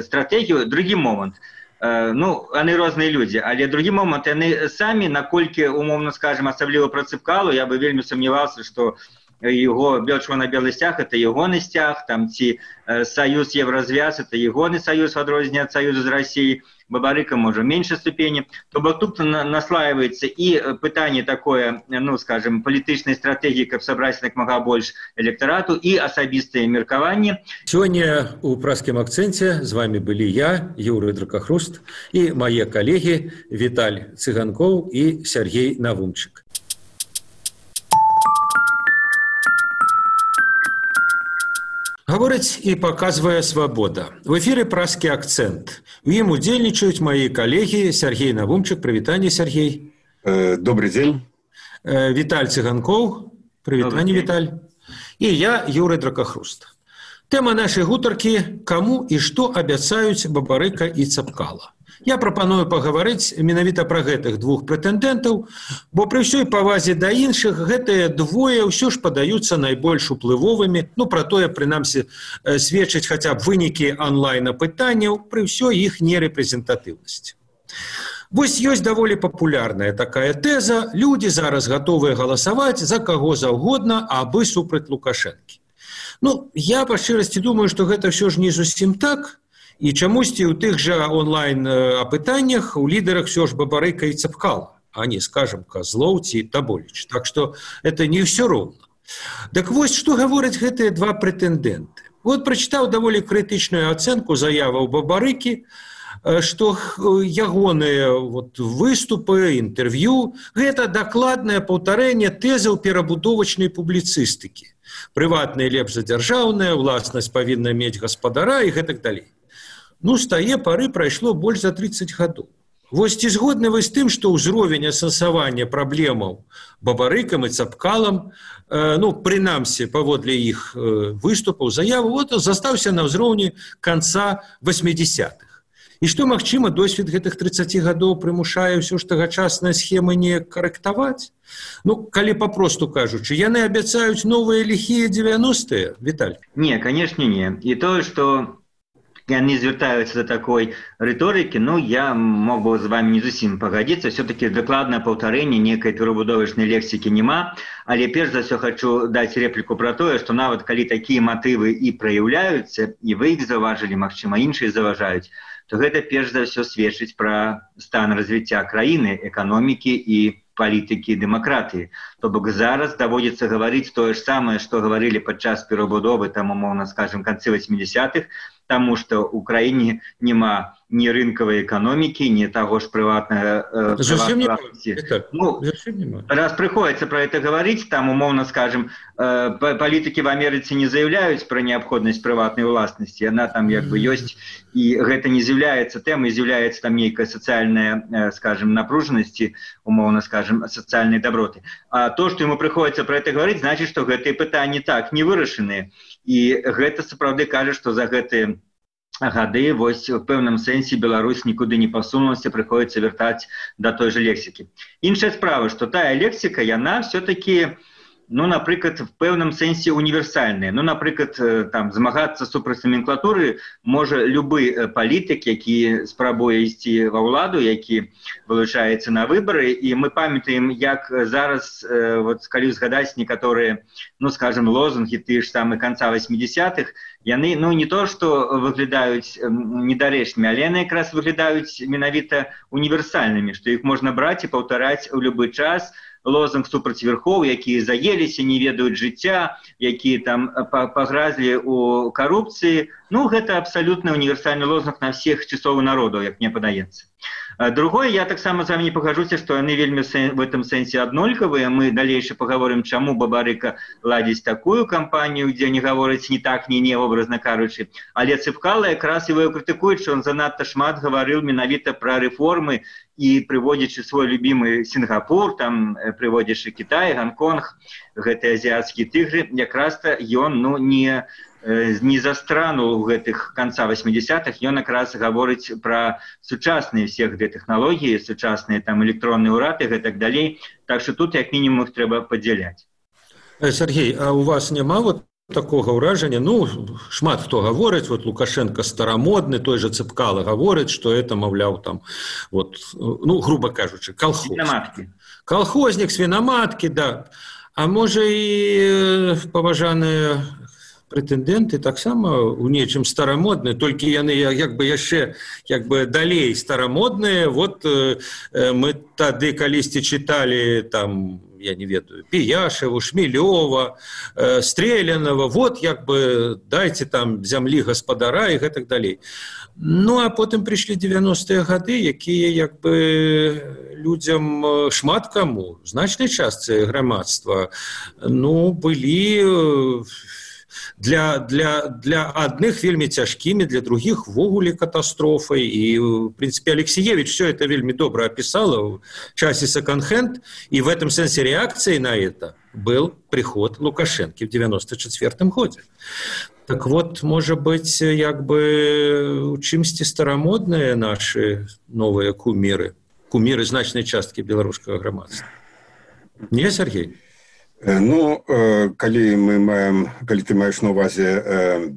стратегию. Другі момент. Они розныя люди, але другі момент, они сами, наколькі, умовно скажем, асабліва про Цепкало, я бы вельмі сомневался, что его бел-чырвона-белы сцяг – это ягоны сцяг, там ці союз Евразвяз – это ягоны союз в адрозненне ад союзу з Россией. Бабарыка можа меньшай ступені. То бок тут наслаивается і пытанне такое, ну скажем, палітычнай стратэгіі, каб сабраць як мага больш электарату, і асабістае меркаванне. Сёння у праскім акцэнце з вами былі я, Юрый Дракахруст, і мае калегі Віталь Цыганкоў і Сергей Навумчык. Гаворыць і паказвае свабода. В эфіры праскі акцэнт. У ім удзельнічаюць мае калегі Сергей Навумчык. Прывітанне, Сергей. Добрый день. Віталь Цыганкоў. Прывітанне, Віталь. І я, Юрый Дракахруст. Тэма нашай гутаркі «Каму і што абяцаюць Бабарыка і Цапкала». Я прапаную пагаварыць менавіта пра гэтых двух прэтэндэнтаў, бо пры ўсёй павазе да іншых гэтыя двое ўсё ж падаюцца найбольш уплывовымі, ну пра тое, прынамсі, сведчыць хаця б вынікі онлайн-апытанняў пры ўсёй іх нерэпрэзентатыўнасці. Вось ёсць даволі папулярная такая тэза: людзі зараз гатовыя галасаваць за каго заўгодна, абы супраць Лукашэнкі. Ну, я па шчырасці думаю, што гэта ўсё ж не зусім так. І чамусьці ў тых жа онлайн-апытаннях у лідарах все ж Бабарыка і Цапкала, а не, скажем, Козлоў ці Таболіч. Так што это не ўсё роўна. Так вось, што гавораць гэтыя два прэтэндэнты. Вот прачытаў даволі крытычную ацэнку заяваў Бабарыкі, што ягоныя выступы, інтэрв'ю – гэта дакладнае паўтарэнне тэзаў перабудовачнай публіцыстыкі. Прыватнае лепш за дзяржаўнае, уласнасць павінна мець гаспадара і гэтак далей. Ну, з тае пары прайшло больш за 30 гадоў. Вось ці згодны вы з тым, што ўзровень асэнсавання праблемаў Бабарыкам і Цапкалам, ну, прынамсі, паводле іх выступаў, заяву, застаўся на ўзроўні канца 80-х. І што, магчыма, досвед гэтых 30 гадоў прымушае ўсё ж тагачасныя схемы не карэктаваць? Ну, калі папросту кажучы, яны абяцаюць новыя ліхія 90-е, Віталь? Не, канешне, не. І тое, што яны звяртаюцца да такой рыторыкі, ну, я мог бы з вами не зусім пагадзіцца, все-таки дакладнае паўтарэнне нейкай перабудовачнай лексікі няма, але перш за ўсё хочу даць рэпліку пра тое, што нават калі такія матывы і праяўляюцца, і вы іх заўважылі, магчыма, іншыя заўважаюць, то гэта перш за ўсё сведчыць пра стан развіцця краіны, эканомікі і палітыкі дэмакратыі. То бок зараз даводзіцца гаварыць тое ж самае, што гаварылі падчас перабудовы, там, умоўна скажем, канцы 80-х, таму што ў краіне няма ні рынкавай эканомікі, ні таго ж прыватнага... Ну, раз прыходзіцца пра гэта гаварыць, там, умоўна скажем, палітыкі в Амерыцы не заяўляюць пра неабходнасць прыватнай уласнасці, яна там як бы ёсць, і гэта не з'яўляецца тэмай, з'яўляецца там нейкая сацыяльная, скажем, напружанасці, умоўна скажем, сацыяльнай даброты. А то, што яму прыходзіцца пра гэта гаварыць, значыць, што гэтыя пытанні так не вырашаныя. І гэта сапраўды кажа, што за гэтыя гады, вось, у пэўным сэнсе Беларусь нікуды не пасунулася, прыходзіцца вяртаць да той жа лексікі. Іншая справа, што тая лексіка, яна все-таки, ну, напрыклад, в пэўным сэнсе універсальная. Ну, напрыклад, там, змагацца супраць номенклатуры можа любы палітык, які спрабуе ісці ва ўладу, які вылучаецца на выбары, і мы памятаем, як зараз, вот, калі згадаць некаторыя, ну, скажем, лозунгі тыя ж самы канца 80-х, яны, ну, не то, што выглядаюць недарэчнымі, але яны якраз выглядаюць менавіта універсальнымі, што іх можна браць і паўтараць у любы час. Лозунг супраць верхоў, якія заеліся, не ведаюць жыцця, якія там пагразлі ў карупцыі. Ну, гэта абсалютна універсальны лозунг на всех часоў народаў, як мне падаецца. Другое, я таксама з вами не пагажуся, што яны вельмі в этом сэнсе аднолькавыя. Мы далейше паговорым, чаму Бабарыка ладзіць такую кампанію, дзе не гаворыць ні так, ні не, образна кажучы. Але Цапкала якраз его крытыкуюць, што он занадта шмат гаварыў менавіта пра рэформы і прыводзячы свой любімы Сінгапур, там прыводзячы Кітай, Гонконг, гэтыя азіяцкія тыгры, якраз-то ён, ну, не застранул у гэтых канца 80-х, ён якраз гаворыць пра сучасныя все гэтыя тэхналогіі, сучасныя там электронныя ўрады і гэтак далей. Так што тут як мінімум іх трэба падзяляць. Сергей, а у вас няма вот такога ўражання? Ну, шмат хто гаворыць, вот Лукашенко старамодны, той же Цапкала гаворыць, што это, маўляў, там, вот, ну, грубо кажучы, колхознік. Колхознік, свінаматкі, да. А можа і паважаныя прэтэндэнты таксама у нечым старамодныя, толькі яны яшчэ далей старамодныя. Вот мы тады калісьці чыталі там, я не ведаю, Пияшеву, Шмелёва, Стрелянова, вот дайце там зямлі гаспадара і гэтак далей. Ну, а потым прыйшлі 90-е гады, якія людзям, шмат каму, значнай частцы грамадства, былі для адных вельмі цяжкімі, для другіх ввогуле катастрофай. І, в принципе, Алексеевич все это вельмі добра описала в часе секонд-хенд, и в этом сенсе реакцией на это был приход Лукашенко в 94 году. Так вот, может быть, у чымсьці старамодныя наши новые кумиры значной частки белорусского грамадства. Не, Сергей? Калі ты маеш на увазе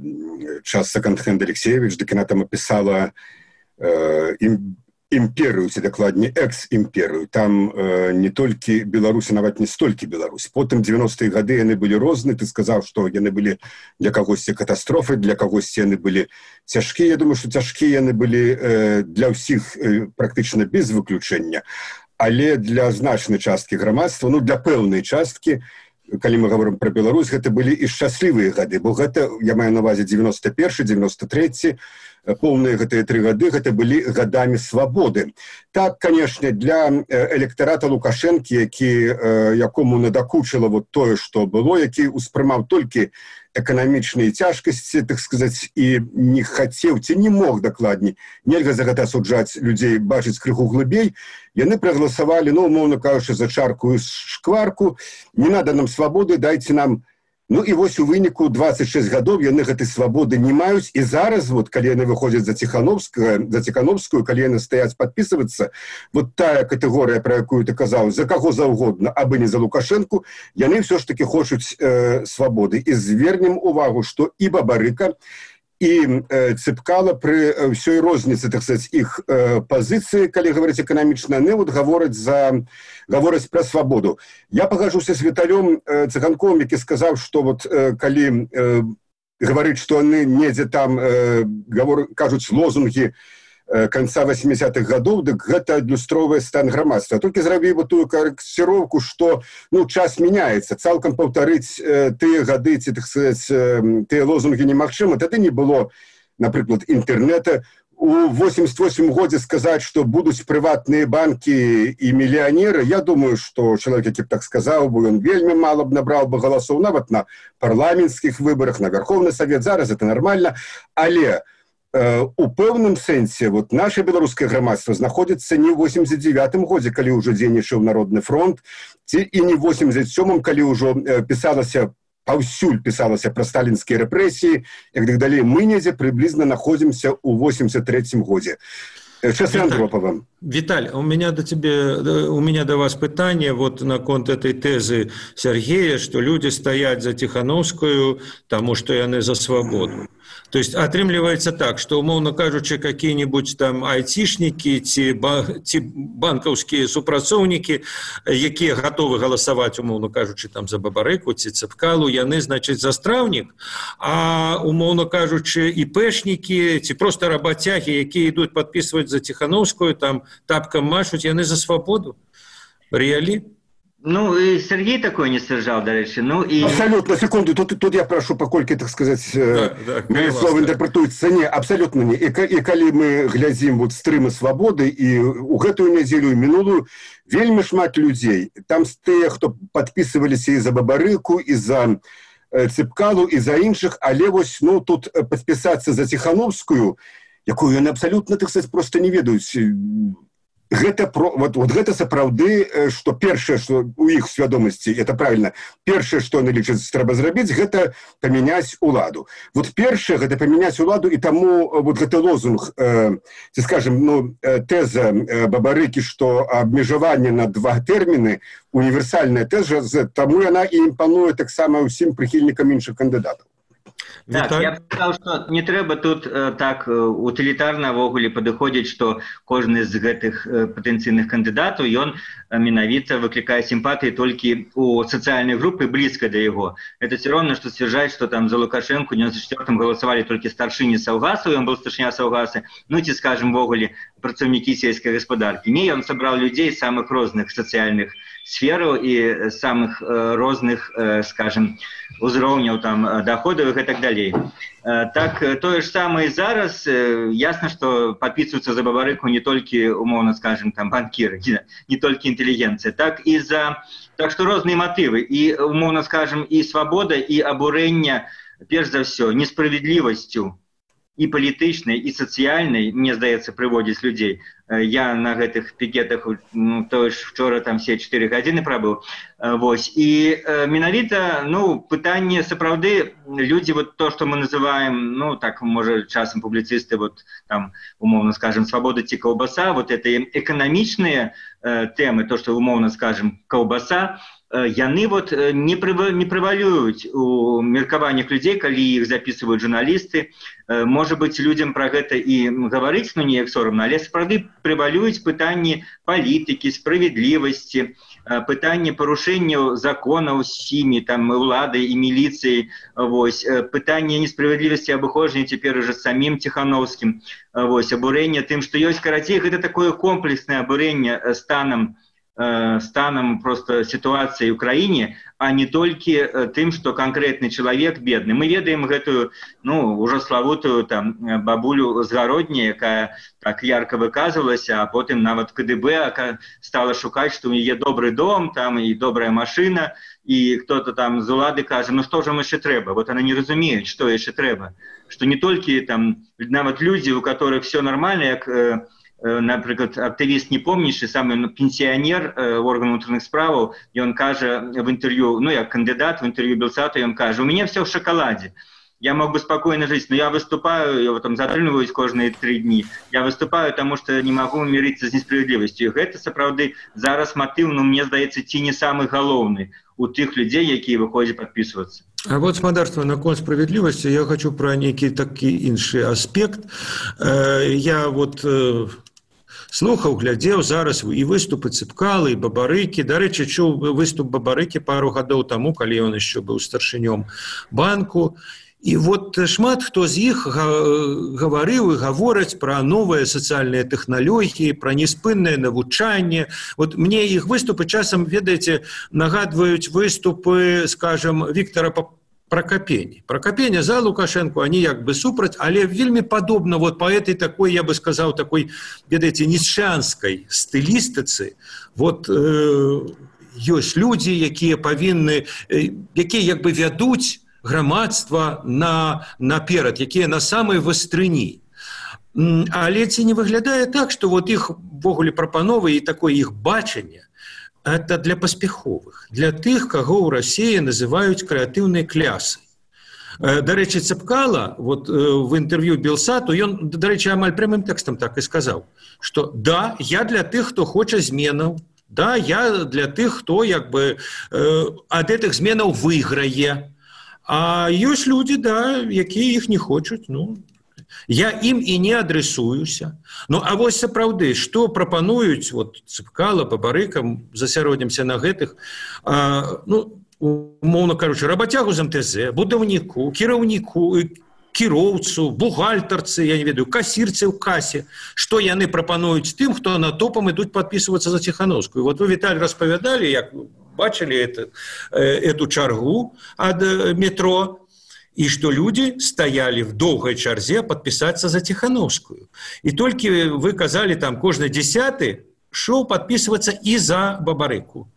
час секонд-хенд Алексеевич, дык яна там опісала імперыю, ці дакладней экс-імперыю. Там не толькі Беларусь, нават не столькі Беларусь. Потым 90-е гады яны былі розныя. Ты сказаў, што яны былі для кагосьці катастрофы, для кагосьці яны былі цяжкія. Я думаю, што цяжкія яны былі для ўсіх практычна без выключэння. Але для значнай часткі грамадства, для пэўнай часткі, калі мы говорим про Беларусь, гэта былі і шчаслівыя гады, бо гэта, я маю на увазе 91, 93, поўныя гэтыя 3 гады, гэта былі гадамі свабоды. Так, канешне, для электарата Лукашэнкі, якому надакучыла тое, што было, які ўспрымаў толькі эканамічныя цяжкасці, так сказаць, і не хацеў, ці не мог дакладней, нельга за гэта асуджаць людзей, бачыць крыху глыбей, яны прагаласавалі, умоўна кажучы, за чарку і шкварку, не надо нам свабоды, дайце нам. І вось у выніку 26 гадоў яны гэтай свабоды не маюць, і зараз, калі яны выходзяць за Ціхановскую, калі яны стаяць падпісвацца, тая катэгорыя, пра якую ты казаў, за каго заўгодна, абы не за Лукашэнку, яны ўсё ж такі хочуць свабоды. І звернем увагу, што і Бабарыка, і Цыпкала пры ўсёй розніцы, так сказаць, іх пазіцыі, калі гаварыць эканамічна, яны гавораць пра свабоду. Я пагажуся з Віталём Цыганковым, які сказаў, што калі гаварыць, што яны недзе там кажуць лозунгі конца 80-х гадоў, дык гэта адлюстроўвае стан грамадства. Толькі зрабіў тую карэкціроўку, што час мяняецца, цалкам паўтарыць тыя гады, ці, так сказаць, тыя лозунгі немагчыма. Тады не было, напрыклад, інтэрнета. У 88 годзе сказаць, што будуць прыватныя банкі і мільянеры, я думаю, што чалавек, які б так сказаў, ён вельмі мала б набраў бы галасоў, нават на парламенцкіх выбарах, на Верховны Савет. Зараз это нармальна, але у пэўным сэнсе наше беларускае грамадства знаходзіцца не ў 89-м годзе, калі ўжо дзейнічаў Народны фронт, ці і не ў 87-м, калі ўжо паўсюль пісалася пра сталінскія рэпрэсіі, як так далей. Мы недзе прыблізна находзімся ў 83-м годзе. Часы Андропова. Виталь, у меня до вас пытание наконт этой тезы Сергея, что люди стоят за Тихановскую, потому что яны за свободу. То есть атрымліваецца так, что, умоўно кажучы, какие-нибудь там айтишники, ці банкаўскія супрацоўнікі, якія готовы галасаваць, умоўно кажучы, там за Бабарыку, ці Цыпкалу, яны, значит, за страўнік, а, умоўно кажучы, іпэшнікі, ці просто работяги, якія ідуць подписывать за Тихановскую, там тапкам машуць, яны за свободу. Реали? И Сергей такой не сержал, до речі. Абсолютно, секунду, тут я прошу, покольки, так сказать, мои слова интерпретуюцца. Не, абсолютно не. И калі мы глядзім стрымы свободы, и у гэтую нядзелю, и мінулую, вельмі шмат людзей. Там тыя, хто подписываліся и за Бабарыку, и за Цыпкалу, и за іншых, але тут подписаться за Тихановскую, якую яны абсолютно, так сказать, просто не ведаюць. Гэта сапраўды, што першае, што у іх свядомасці, это правильно, першае, што яны лічаць трэба зрабіць, гэта памяняць уладу. Першае, гэта памяняць уладу, і таму гэты лозунг, ці скажем, тэза Бабарыкі, што абмежаванне на 2 тэрміны, універсальная тэза, таму яна і імпануе таксама ўсім прыхільнікам іншых кандыдатаў. Так, я б сказаў, што не трэба тут так утылітарна ўвогуле падыходзіць, што кожны з гэтых патэнцыйных кандыдатаў, ён менавіта выклікае сімпатыі толькі у сацыяльнай групы блізка да яго. Это все равно, што сцвярджаць, што там за Лукашэнку ў 94-м галасавалі толькі старшыні Саўгасаў, ён быў старшыня Саўгасы, ну ці, скажем, увогуле працаўнікі сельскай гаспадаркі. Не, ён сабраў людзей з самых розных сацыяльных сфераў і самых розных, скажем, узроўняў там доходаў і так далей. Так, тое ж самае зараз. Ясна, што падпісваюцца за Бабарыку не толькі, умоўна скажем, там банкіры, не толькі інтэлігенцыя, так што розныя матывы. І, умоўна скажем, і свабода, і абурэнне, перш за ўсё, несправядлівасцю і палітычнай, і сацыяльнай, мне здаецца, прыводзіць людзей. Я на гэтых пікетах, ну, то ж вчора там все 4 гадзіны прабыў. Вось. І менавіта, ну, пытанне сапраўды, людзі, вот то, што мы называем, ну, так, можа, часам публіцысты, вот там, умоўна скажем, свабода ці каўбаса, вот это эканамічныя тэмы, то, што умоўна скажем, каўбаса, яны вот не прывалююць у меркаваннях людзей, калі іх записываюць журналісты. Можа быць, людзям пра гэта і гаварыць, ну, неяк сорамна, але сапраўды прывалююць пытанні палітыкі, справядлівасці, пытанні парушэнняў законаў сімі, там, уладай і міліцыяй, вось, пытанне несправядлівасці абыходжання цяпер уже самім Ціхановскім, вось, абурэнне тым, што ёсць, карацей, гэта такое комплекснае абурэнне станам просто ситуации в Украине, а не только тем, что конкретный человек бедный. Мы ведаем гэтую, ну, уже славутую там бабулю з Гародні, якая так ярко выказывалась, а потом нават КДБ стала шукать, что у нее добрый дом, там и добрая машина, и кто-то там з улады кажа, ну что же еще трэба? Вот она не разумеет, что еще трэба. Что не только там нават люди, у которых все нормально, как например, активист не помнишь, самый пенсионер органов внутренних справ, и он каже в интервью, ну я кандидат в интервью Белсату, и он каже, у меня все в шоколаде. Я мог бы спокойно жить, но я выступаю, я там затрымліваюсь кожные 3 дни. Я выступаю, потому что не могу мириться с несправедливостью. И это, сапраўды, зараз мотив, ну, мне здаецца, ці не самый галоўны у тых людей, якія выходят подписываться. А вот, спадарства, наконт справедливости, я хочу про некий такі іншы аспект. Я вот слухаў, глядзеў зараз і выступы Цыпкалы, і Бабарыкі. Дарэчы, чуў выступ Бабарыкі пару гадоў таму, калі ён яшчэ быў старшынём банку. І вот шмат хто з іх гаварыў і гавораць пра новыя сацыяльныя тэхналогіі, пра неспыннае навучанне. Вот мне іх выступы часам, ведаеце, нагадваюць выступы, скажем, Віктора Прокопени. Прокопени за Лукашенко, они як бы супраць, але вельмі падобна вот по этой такой, я бы сказал, такой, ведаеце, ніцшанскай стылістыцы. Вот ёсць людзі, якія павінны, якія як бы вядуць грамадства наперад, якія на самай вастрыні. Але ці не выглядае так, што вот іх ввогуле прапановы і такое іх бачанне, это для паспяховых, для тых, каго ў Расіі называюць крэатыўнай клясай. Дарэчы, Цыпкала вот, в інтэрв'ю Белсату, ён, дарэчы, амаль прямым тэкстам так і сказаў, што да, я для тых, хто хоча зменаў, да, я для тых, хто як бы ад гэтых зменаў выйграе, а ёсць людзі, да, якія іх не хочуць, ну, я ім і не адресуюся. Ну, а вось сапраўды, што прапануюць вот, Цыпкала, Бабарыка, засяродзімся на гэтых, ну, умоўна кажучы, рабацягу з МТЗ, будаўніку, кіраўніку, кіроўцу, бухгалтарцы, я не ведаю, касірцы ў касе, што яны прапануюць тым, хто на топам ідуць падпісвацца за Ціхановскую. Вот вы, Віталь, распавядалі, як бачылі эту чаргу ад метро, и что люди стояли в долгой чарзе подписаться за Тихановскую. И только вы казали, там, кожны 10-й шел подписываться и за Бабарыку.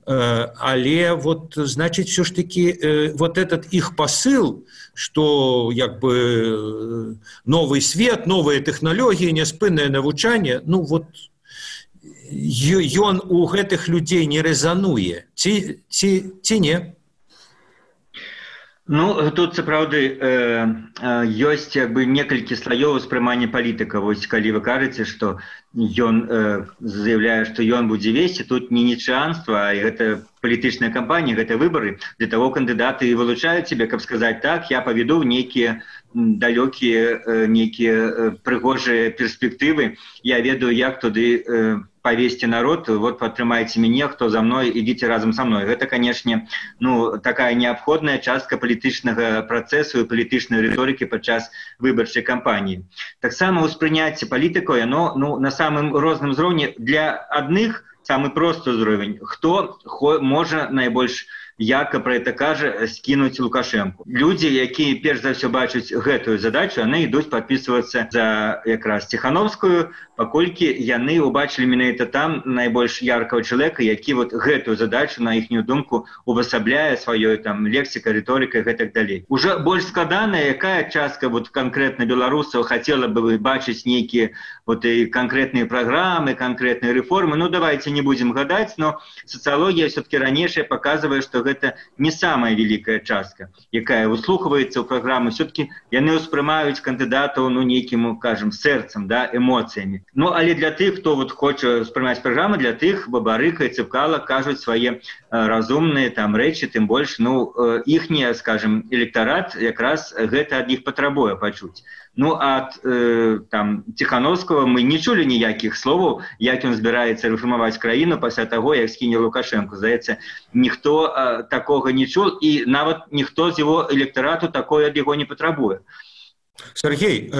Але вот, значит, все ж таки вот этот их посыл, что як бы новый свет, новые технологии, неспынное навучание, ну вот, ён у гэтых людей не резануе. Ці не? Ну, тут сапраўды ёсць некалькі слаёў успрымання палітыка. Вось калі вы кажаце, што ён заявляе, што ён будзе весці, тут не нічыянства, а гэта палітычная кампанія, гэта выбары. Для таго кандыдаты і вылучаюць себе, каб сказаць так, я паведу нейкія далёкія, нейкія прыгожыя перспектывы. Я ведаю, як туды повесьте народ, вот падтрымайце мяне, хто за мной, ідзіце разам са мной. Гэта, канешне, ну, такая неабходная частка палітычнага працэсу і палітычнай рыторыкі падчас выбарчай кампаніі. Таксама ўспрыняцце палітыкаў, яно, ну, на самым розным узроўні. Для адных самы просты ўзровень, хто можа найбольш яка пра гэта кажа, скінуць Лукашэнку. Людзі, якія перш за ўсё бачаць гэтую задачу, яны ідуць падпісвацца за якраз Ціхановскую, паколькі яны ўбачылі менавіта там найбольш яркага чалавека, які вот гэтую задачу, на іхнюю думку, увасабляе сваёй там лексікай, рыторыкай, гэтак далей. Уже больш складаная, якая частка вот канкрэтна беларусаў хацела бы бачыць нейкія вот і канкрэтныя праграмы, канкрэтныя рэформы. Ну, давайте не будзем гадаць, но сацыялогія все-таки ранейшая паказвае, што гэта не самая вялікая частка, якая выслухваецца ў праграмы. Все-таки яны ўспрымаюць кандыдатаў, ну, нейкім, кажам, сэрцам, да, эмоцыямі. Ну, але для тых, хто вот хоча ўспрымаць праграмы, для тых Бабарыка і Цыпкала кажуць свае разумныя там рэчы, тым больш, ну, іхні, скажем, электарат якраз гэта ад іх патрабуе пачуць. Ну, ад там Ціхановскага мы не чулі ніякіх словаў, як ён збіраецца рэформаваць краіну пасля таго, як скіне Лукашэнку. Здаецца, ніхто такога не чул, і нават ніхто з яго электарату такое ад яго не патрабуе. Сергей,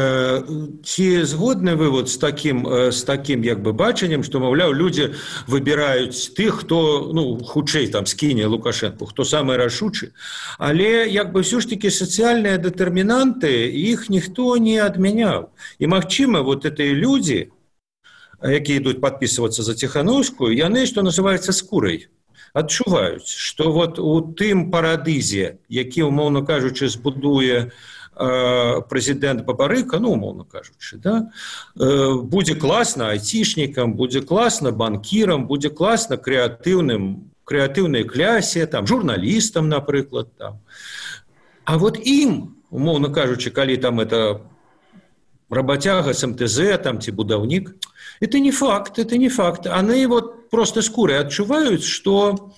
ці згодны вы вот з такім як бы бачаннем, што, маўляў, людзі выбіраюць тых, хто, ну, хутчэй там скіне Лукашэнку, хто самы рашучы, але як бы ўсё ж такі сацыяльныя дэтэрмінанты, іх ніхто не адмяняў. І магчыма, вот гэтыя людзі, якія ідуць падпісвацца за Ціхановскую, яны, што называецца, скурай адчуваюць, што вот у тым парадызе, які, умоўна кажучы, збудуе прэзідэнт Бабарыка, ну, умоўна кажучы, да, будзе класна айцішнікам, будзе класна банкірам, будзе класна крэатыўнай клясе, там, журналістам, напрыклад, там. А вот ім, умоўна кажучы, калі там это работяга з МТЗ, там, ці будаўнік, это не факт, это не факт. Они вот просто скурай адчуваюць, што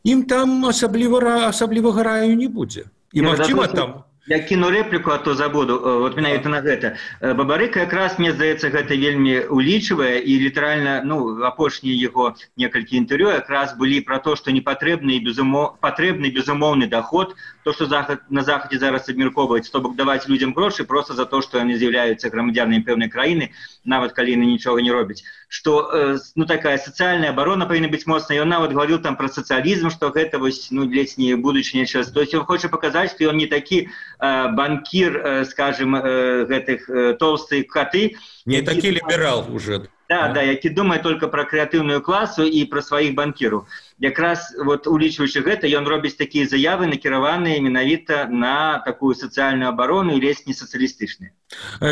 ім там асаблівага раю не будзе. І, магчыма, там... Я кіну рэпліку, а то забуду, вот менавіта на гэта. Бабарыка якраз, мне здаецца, гэта вельмі улічвае, і літаральна, ну, апошнія яго некалькі інтэрв'ю якраз былі пра то, што не патрэбны безумоўны доход, то, што на Захадзе зараз абмяркоўваюць, то бок даваць людзям грошы просто за то, што яны з'яўляюцца грамадзянамі пэўнай краіны, нават калі яны нічога не робяць. Што, ну, такая сацыяльная абарона павінна быць моцная. Ён нават гаварыў там пра сацыялізм, што гэта вось, ну, ледзь не будучыня час. То есть ён хоча паказаць, што ён не такі банкір, скажем, гэтых толстых коты. Не такі ліберал уже. Да, які думае только пра крэатыўную класу і пра сваіх банкіраў. Якраз, вот, улічваючы гэта, ён робіць такія заявы, накіраваныя менавіта на такую сацыяльную абарону і ледзь не сацыялістычныя.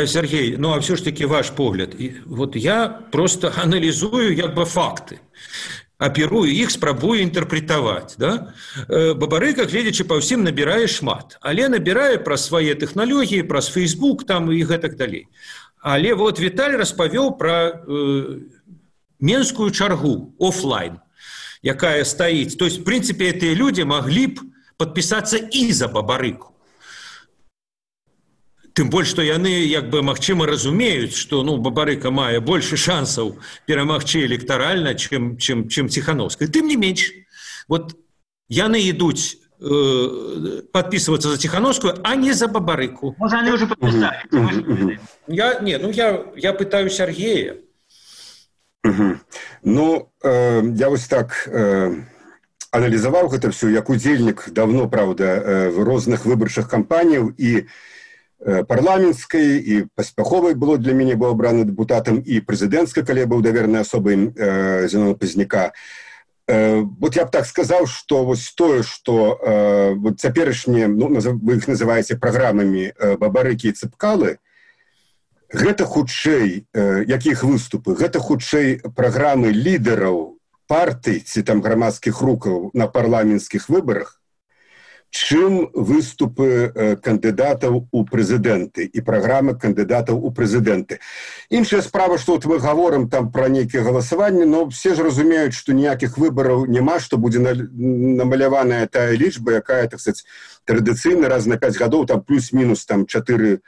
Сергей, ну, а все ж таки ваш погляд. Вот я просто анализую як бы факты. Аперую іх, спрабую інтэрпрэтаваць, да? Бабарыка, гледзячы па ўсім, набірае шмат, але набірае праз свае тэхналогіі, праз Facebook там і гэтак далей. Але вот Віталь распавёў пра менскую чаргу офлайн, якая стаіць. То есть, в принципе, гэтыя людзі маглі б падпісацца і за Бабарыку. Тым больш, што яны, як бы, магчыма, разумеюць, што, ну, Бабарыка мае больше шансаў перамагчы электаральна, чым Ціхановская. Тым не менш, вот яны ідуць падпісвацца за Ціхановскую, а не за Бабарыку. Можа, яны ўжо падпісалі. Я пытаю Сергея. Ну, я вось так аналізаваў гэта все, як удзельнік давно, правда, в розных выбарчых кампаніяў і парламенцкай, і паспяховай было для мяне, быў абраны дэпутатам, і прэзідэнцкай, калі я быў даверанай асобай Зінона Пазняка. Вот я б так сказаў, што вось тое, што вот цяперашнія, ну, вы іх называеце праграмамі Бабарыкі і Цыпкалы, гэта хутчэй, якіх выступы, гэта хутчэй праграмы лідараў партый ці там грамадскіх рухаў на парламенцкіх выбарах, чым выступы кандыдатаў у прэзідэнты і праграмы кандыдатаў у прэзідэнты. Іншая справа, што вот мы гаворым там пра нейкія галасаванні, но все ж разумеюць, што ніякіх выбараў няма, што будзе намаляваная тая лічба, якая, так сказать, традыцыйна раз на 5 гадоў там плюс-мінус там 4-5%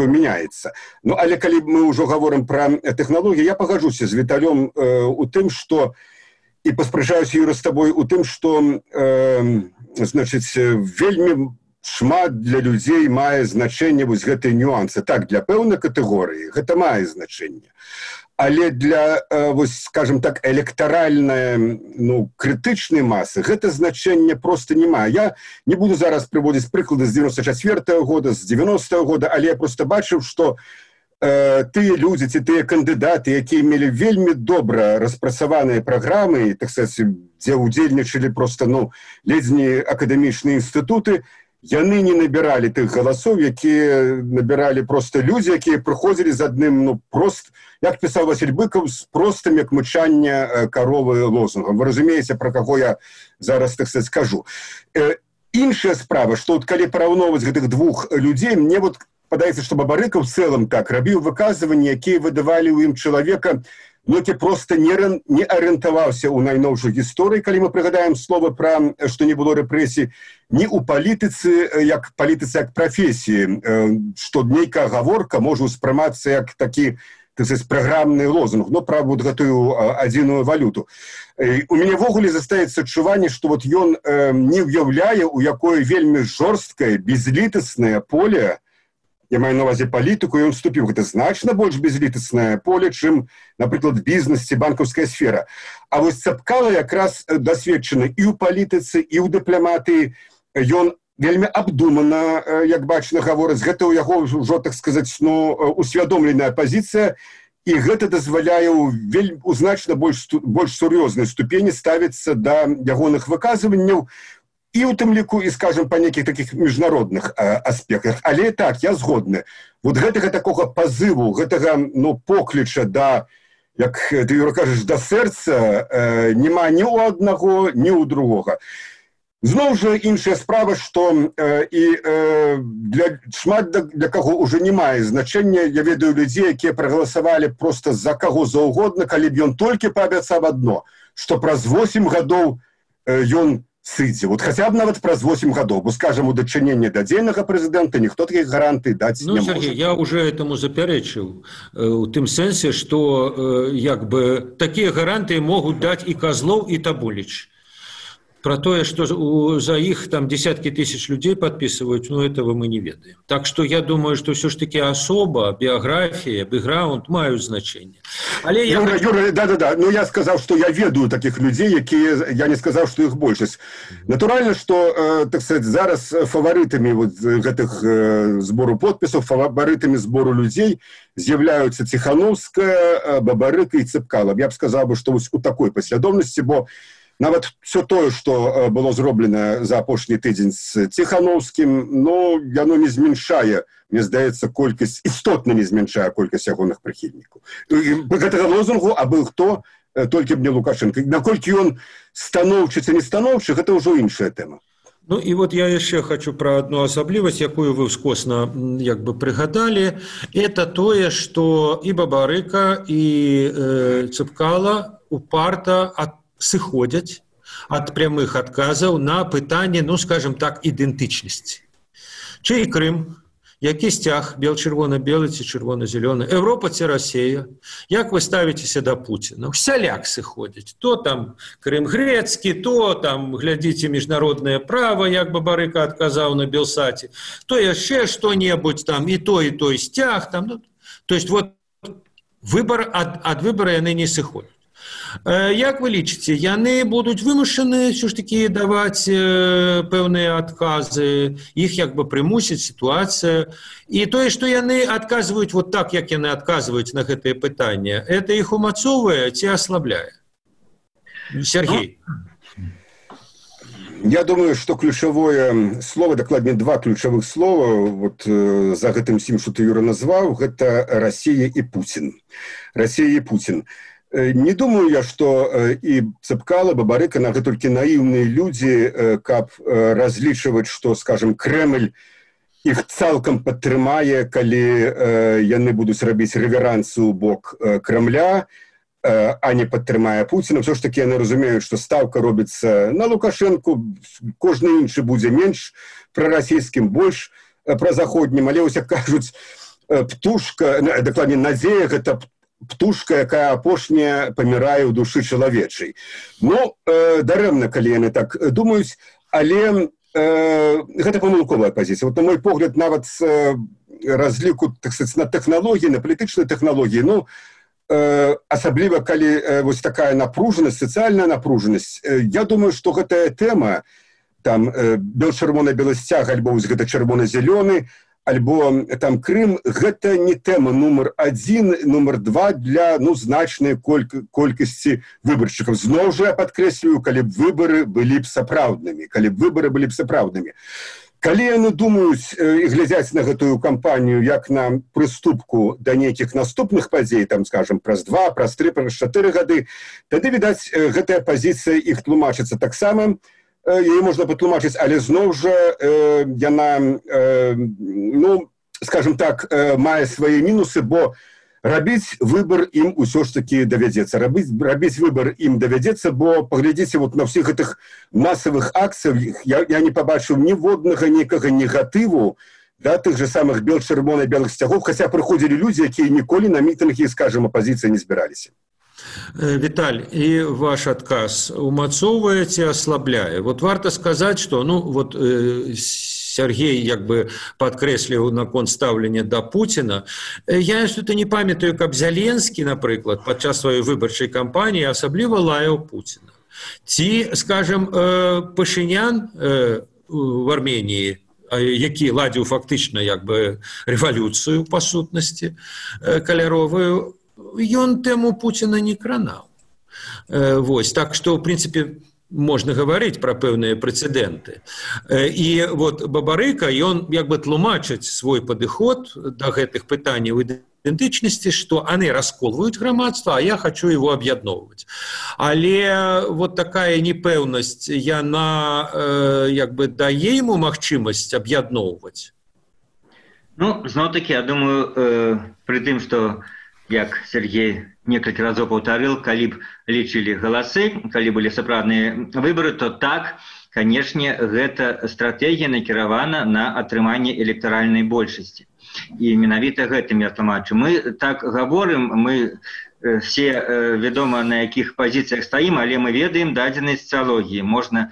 мяняецца. Ну, але калі мы ўжо гаворым пра тэхналогіі, я пагаджуся з Віталём у тым, што і паспрачаюся, Юра, з табой у тым, што значыць, вельмі шмат для людзей мае значэнне вось гэтыя нюансы. Так, для пэўнай катэгорыі гэта мае значэнне. Але для, вось, скажем так, электоральнай, ну, крытычнай масы гэта значэнне проста не мае. Я не буду зараз прыводзіць прыклады з 94-го года, з 90-го года, але я проста бачыў, што тыя людзі ці тыя кандыдаты, якія мелі вельмі добра распрацаваныя праграмы, так сказать, дзе ўдзельнічалі проста, ну, ледзь не акадэмічныя інстытуты, яны не набіралі тых галасоў, якія набіралі проста людзі, якія прыходзілі з адным, ну, прост, як пісаў Васіль Быкаў, з простым, як мычанне каровы лозунгам. Вы разумееце, пра каго я зараз, так сказать, скажу. Іншая справа, што вот калі параўноўваць гэтых двух людзей, мне вот падаецца, што Бабарыка ў цэлым так рабіў выказванні, якія выдавалі ў ім чалавека, ну, які проста не арыентаваўся ў найноўшай гісторыі, калі мы прыгадаем слова пра, што не было рэпрэсій, ні ў палітыцы як прафесіі, што нейкая гаворка можа ўспрымацца як такі, так сказать, праграмны лозунг, ну, пра вот гэтую адзіную валюту. У мяне ввогуле застаецца адчуванне, што вот ён не ўяўляе, у якое вельмі жорсткае, безлітаснае поле, я маю на ўвазе палітыку, і ён вступіў. Гэта значна больш безлітаснае поле, чым, напрыклад, бізнес ці банкаўская сфера. А вось Цапкала якраз дасведчаны і ў палітыцы, і ў дыпламатыі. Ён вельмі абдумана, як бачна, гаворыць. Гэта ў яго ўжо, так сказаць, ну, усвядомленая пазіцыя, і гэта дазваляе у значна больш сур'ёзнай ступені ставіцца да ягоных выказванняў, і ў тым ліку, і, скажем, па нейкіх такіх міжнародных аспектах. Але так, я згодны. Вот гэтага такога пазыву, гэтага, ну, покліча да, як ты, Юра, кажаш, да сэрца няма ні ў аднаго, ні ў другога. Зноў жа іншая справа, што шмат для каго ўжо не мае значэння. Я ведаю людзей, якія прагаласавалі проста за каго заўгодна, калі б ён толькі паабяцаў адно, што праз 8 гадоў ён сыдзе. Вот хаця б нават праз 8 гадоў, бо, скажам, у дачыненні да дзейнага прэзідэнта ніхто такіх гарантый даць не можа. Сергей, я уже этому запярэчыў у тым сэнсе, што як бы такія гарантыі могуць даць і Козлов, і Табуліч. Про тое, што за іх там десяткі тысяч людзей падпісваюць, ну, этого мы не ведаем. Так што я думаю, што ўсё ж такі асоба, біяграфія, бэкграунд маюць значэнне. Але я... Юра, да. Ну, я сказаў, што я ведаю такіх людзей, якія... Я не сказаў, што іх большасць. Натуральна, што, так сказать, зараз фаварытамі вот гэтых збору подпісаў, фаварытамі збору людзей з'яўляюцца Ціхановская, Бабарыка і Цапкала. Я б сказаў, што вось у такой паслядоўнасці, бо нават все тое, што было зроблена за апошні тыдзень з Ціхановскім, ну, яно не зменшае, мне здаецца, колькасць, істотна не зменшае колькасць ягоных прыхільнікаў. Гэтага лозунгу, а был хто, толькі б не Лукашенко. Наколькі ён станоўчы ці не станоўчы, гэта ўжо іншая тэма. Ну і вот я яшчэ хочу пра адну асаблівасць, якую вы ўскосна як бы прыгадалі. Это тое, што і Бабарыка, і Цапкала упарта сыходзяць ад прямых адказаў на пытанне, ну, скажем так, ідэнтычнасці. Чый Крым, які сцяг, бел-чырвона-белы ці чырвона-зялёны, Еўропа ці Расія, як вы ставіцеся да Пуціна? Усяляк сыходзяць. То там Крым грэцкі, то там, глядзіце, міжнароднае права, як Бабарыка адказаў на Белсаце, то яшчэ што-небудзь там, і той сцяг. Там, ну, то есть вот ад выбара яны не сыходзяць. Як вы лічыце, яны будуць вымушаны ўсё ж такі даваць пэўныя адказы, іх як бы прымусіць сітуацыя, і тое, што яны адказваюць вот так, як яны адказваюць на гэтыя пытанні, это іх умацоўвае ці аслабляе? Сергей. Я думаю, што ключавое слово, дакладней два ключавых слова вот за гэтым всім, што ты, Юра, назваў, гэта Расія і Пуцін. Расія і Пуцін. Не думаю я, што і Цэпкала, Бабарыка, гэта толькі наіўныя людзі, каб разлічваць, што, скажем, Крэмль іх цалкам падтрымае, калі яны будуць рабіць рэверансы ў бок Крамля, а не падтрымае Пуціна. Все ж таки яны разумеюць, што стаўка робіцца на Лукашэнку, кожны іншы будзе менш прарасійскім, больш празаходнім, але, як кажуць, птушка, дакладней, надзея, гэта птушка, якая апошняя памірае ў душы чалавечай. Ну, дарэмна, калі яны так думаюць, але гэта памылковая пазіцыя. Вот, на мой погляд, нават разліку, так сказать, на тэхналогіі, на палітычнай тэхналогіі, ну, асабліва, калі вось такая напружанасць, сацыяльная напружанасць, я думаю, што гэтая тэма, там, бел-чырвона-белы сцяг, альбо вось гэта чырвона-зялёны, альбо там Крым, гэта не тэма нумар 1, нумар 2 для, ну, значнай колькасці выбаршчыкаў. Зноў жа я падкрэслюю, калі б выбары былі б сапраўднымі, Калі яны думаюць і глядзяць на гэтую кампанію як на прыступку да нейкіх наступных падзей, там, скажем, праз 2, праз 3, праз 4 гады, тады, відаць, гэтая пазіцыя іх тлумачыцца таксама, яе можна патлумачыць, але зноў жа яна, ну, скажем так, мае свае мінусы, бо рабіць выбар ім усё ж таки давядзецца. Рабіць выбар ім давядзецца, бо паглядзіце вот на ўсіх гэтых масавых акцыях, я не пабачыў ніводнага нейкага негатыву да тых же самых бел-чырвона-белых сцягоў, хаця прыходзілі людзі, якія ніколі на мітынгі, скажем, апазіцыі не збіраліся. Віталь, і ваш адказ умацоўвае ці аслабляе? Вот варта сказаць, што, ну, вот Сергей як бы падкрэсліў наконт стаўлення да Пуціна. Я что-то не памятаю, каб Зеленскі, напрыклад, падчас сваёй выбарчай кампаніі асабліва лаяў Пуціна. Ці, скажем, Пашынян в Арменіі, які ладзіў фактычна як бы рэвалюцыю, па сутнасці, каляровую, ён тэму Пуціна не кранаў. Вось, так што, в прынцыпе, можна гаварыць пра пэўныя прэцэдэнты. І вот Бабарыка, ён як бы тлумачыць свой падыход да гэтых пытанняў ідэнтычнасці, што яны расколваюць грамадства, а я хочу его аб'ядноўваць. Але вот такая непэўнасць, яна як бы дае яму магчымасць аб'ядноўваць? Ну, зноў-такі, я думаю, пры тым, што як Сергей некалькі разоў паўтарыў, калі б лічылі галасы, калі былі сапраўдныя выбары, то так, канешне, гэта стратэгія накіравана на атрыманне электаральнай большасці. І менавіта гэтым я тлумачу. Мы так гаворым, мы все вядома, на якіх пазіцыях стаім, але мы ведаем дадзеныя сацыялогіі. Можна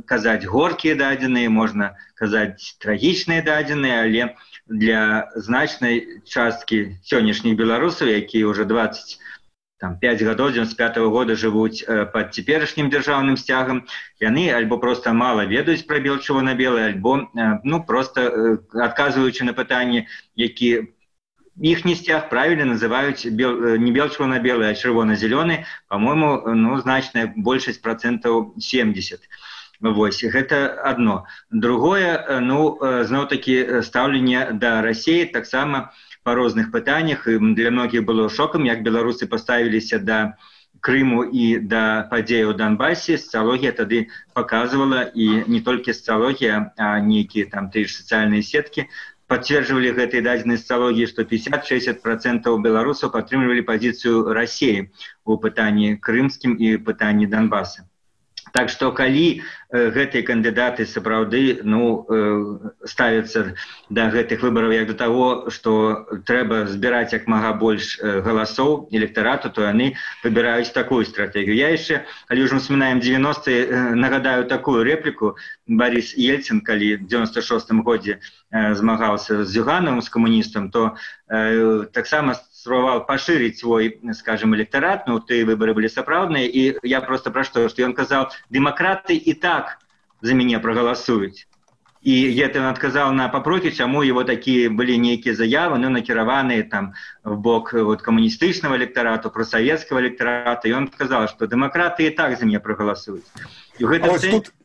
казаць горкія дадзеныя, можна казаць трагічныя дадзеныя, але для значнай часткі сённяшніх беларусаў, якія ўжо 25 гадоў, 95-го года жывуць пад цяперашнім дзяржаўным сцягам, яны альбо проста мала ведаюць пра бел-чырвона-белы, альбо, ну, проста адказваючы на пытанні, які іхні сцяг правільна называюць не бел-чырвона-белы, а чырвона-зялёны, па-мойму, ну, значная большасць процентаў 70. Вось, гэта адно. Другое, ну, зноў-такі стаўленне да Расіі таксама па розных пытаннях. Для многіх было шокам, як беларусы паставіліся да Крыму і да падзеяў у Донбасе. Сацыялогія тады паказвала, і не толькі сацыялогія, а нейкія там тыя ж сацыяльныя сеткі пацверджвалі гэтай дадзенай сацыялогіі, што 50-60% беларусаў падтрымлівалі пазіцыю Расіі у пытанні крымскім і пытанні Донбаса. Так што, калі гэтыя кандыдаты сапраўды, ну, ставяцца да гэтых выбараў як да таго, што трэба збіраць як мага больш галасоў электарату, то яны выбіраюць такую стратэгію. Я яшчэ, калі ўжо ўспамінаем 90-е, нагадаю такую рэпліку. Борис Ельцин, калі в 96-м годзе змагаўся з Зюгановым, з камуністам, то таксама спрабаваў пашырыць свой, скажем, электарат, ну, тыя выбары былі сапраўдныя, і я просто пра што ён казаў, дэмакраты і так за мяне прагаласуюць. І ён адказаў на папрокі, чаму его такія былі нейкія заявы, ну, накіраваныя там в бок вот, камуністычнага электарату, прасавецкага электарата, і ён сказаў, што дэмакраты і так за мяне прагаласуюць. І гэта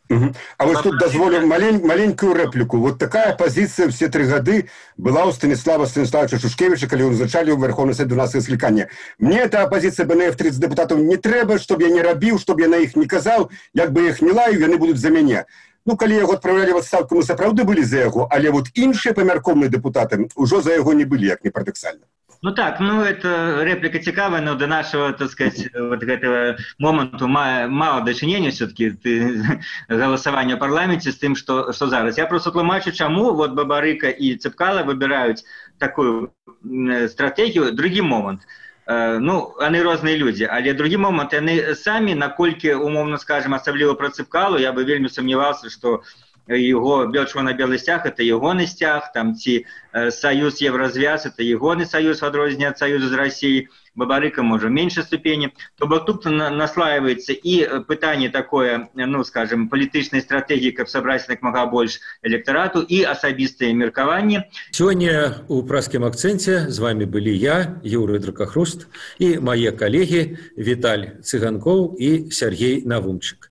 А вось тут дазволю маленькую рэпліку. Вот такая пазіцыя все 3 гады была ў Станіслава Станіславовича Шушкевича, калі ён узначаліў Верховны Совет 12 склікання. Мне эта апозіцыя БНФ 30 дэпутатаў не трэба, чтоб я не рабіў, чтоб я на іх не казаў, як бы іх не лаю, яны будуць за мяне. Ну, калі яго адпраўлялі в адстаўку, мы сапраўды былі за яго, але вот іншыя памяркоўныя дэпутаты ўжо за яго не былі, як не парадаксальна. Ну так, ну это реплика цікавая, но до нашего, так сказать, вот этого моменту мало дачынення все-таки голосования в парламенте с тем, что зараз. Я просто тлумачу, чему вот Бабарыка и Цепкало выбирают такую стратегию. Другий момент. Ну, они разные люди, але другі момент, они самі, наколькі, умовно скажем, особливо про Цепкало, я бы вельми сомневался, что его бело-червоно-белый стяг – это егоный стяг, там ці союз Еврозвяз – это егоный союз, в адрозненне от союза с Россией, Бабарыка, может, в меньшей ступени, то тут наслаивается и пытание такое, ну, скажем, политичной стратегии, как собрать как мага больше электорату, и особистое меркование. Сегодня у «Праскім акценте» с вами были я, Юрий Дракахруст, и мои коллеги Виталь Цыганков и Сергей Навумчик.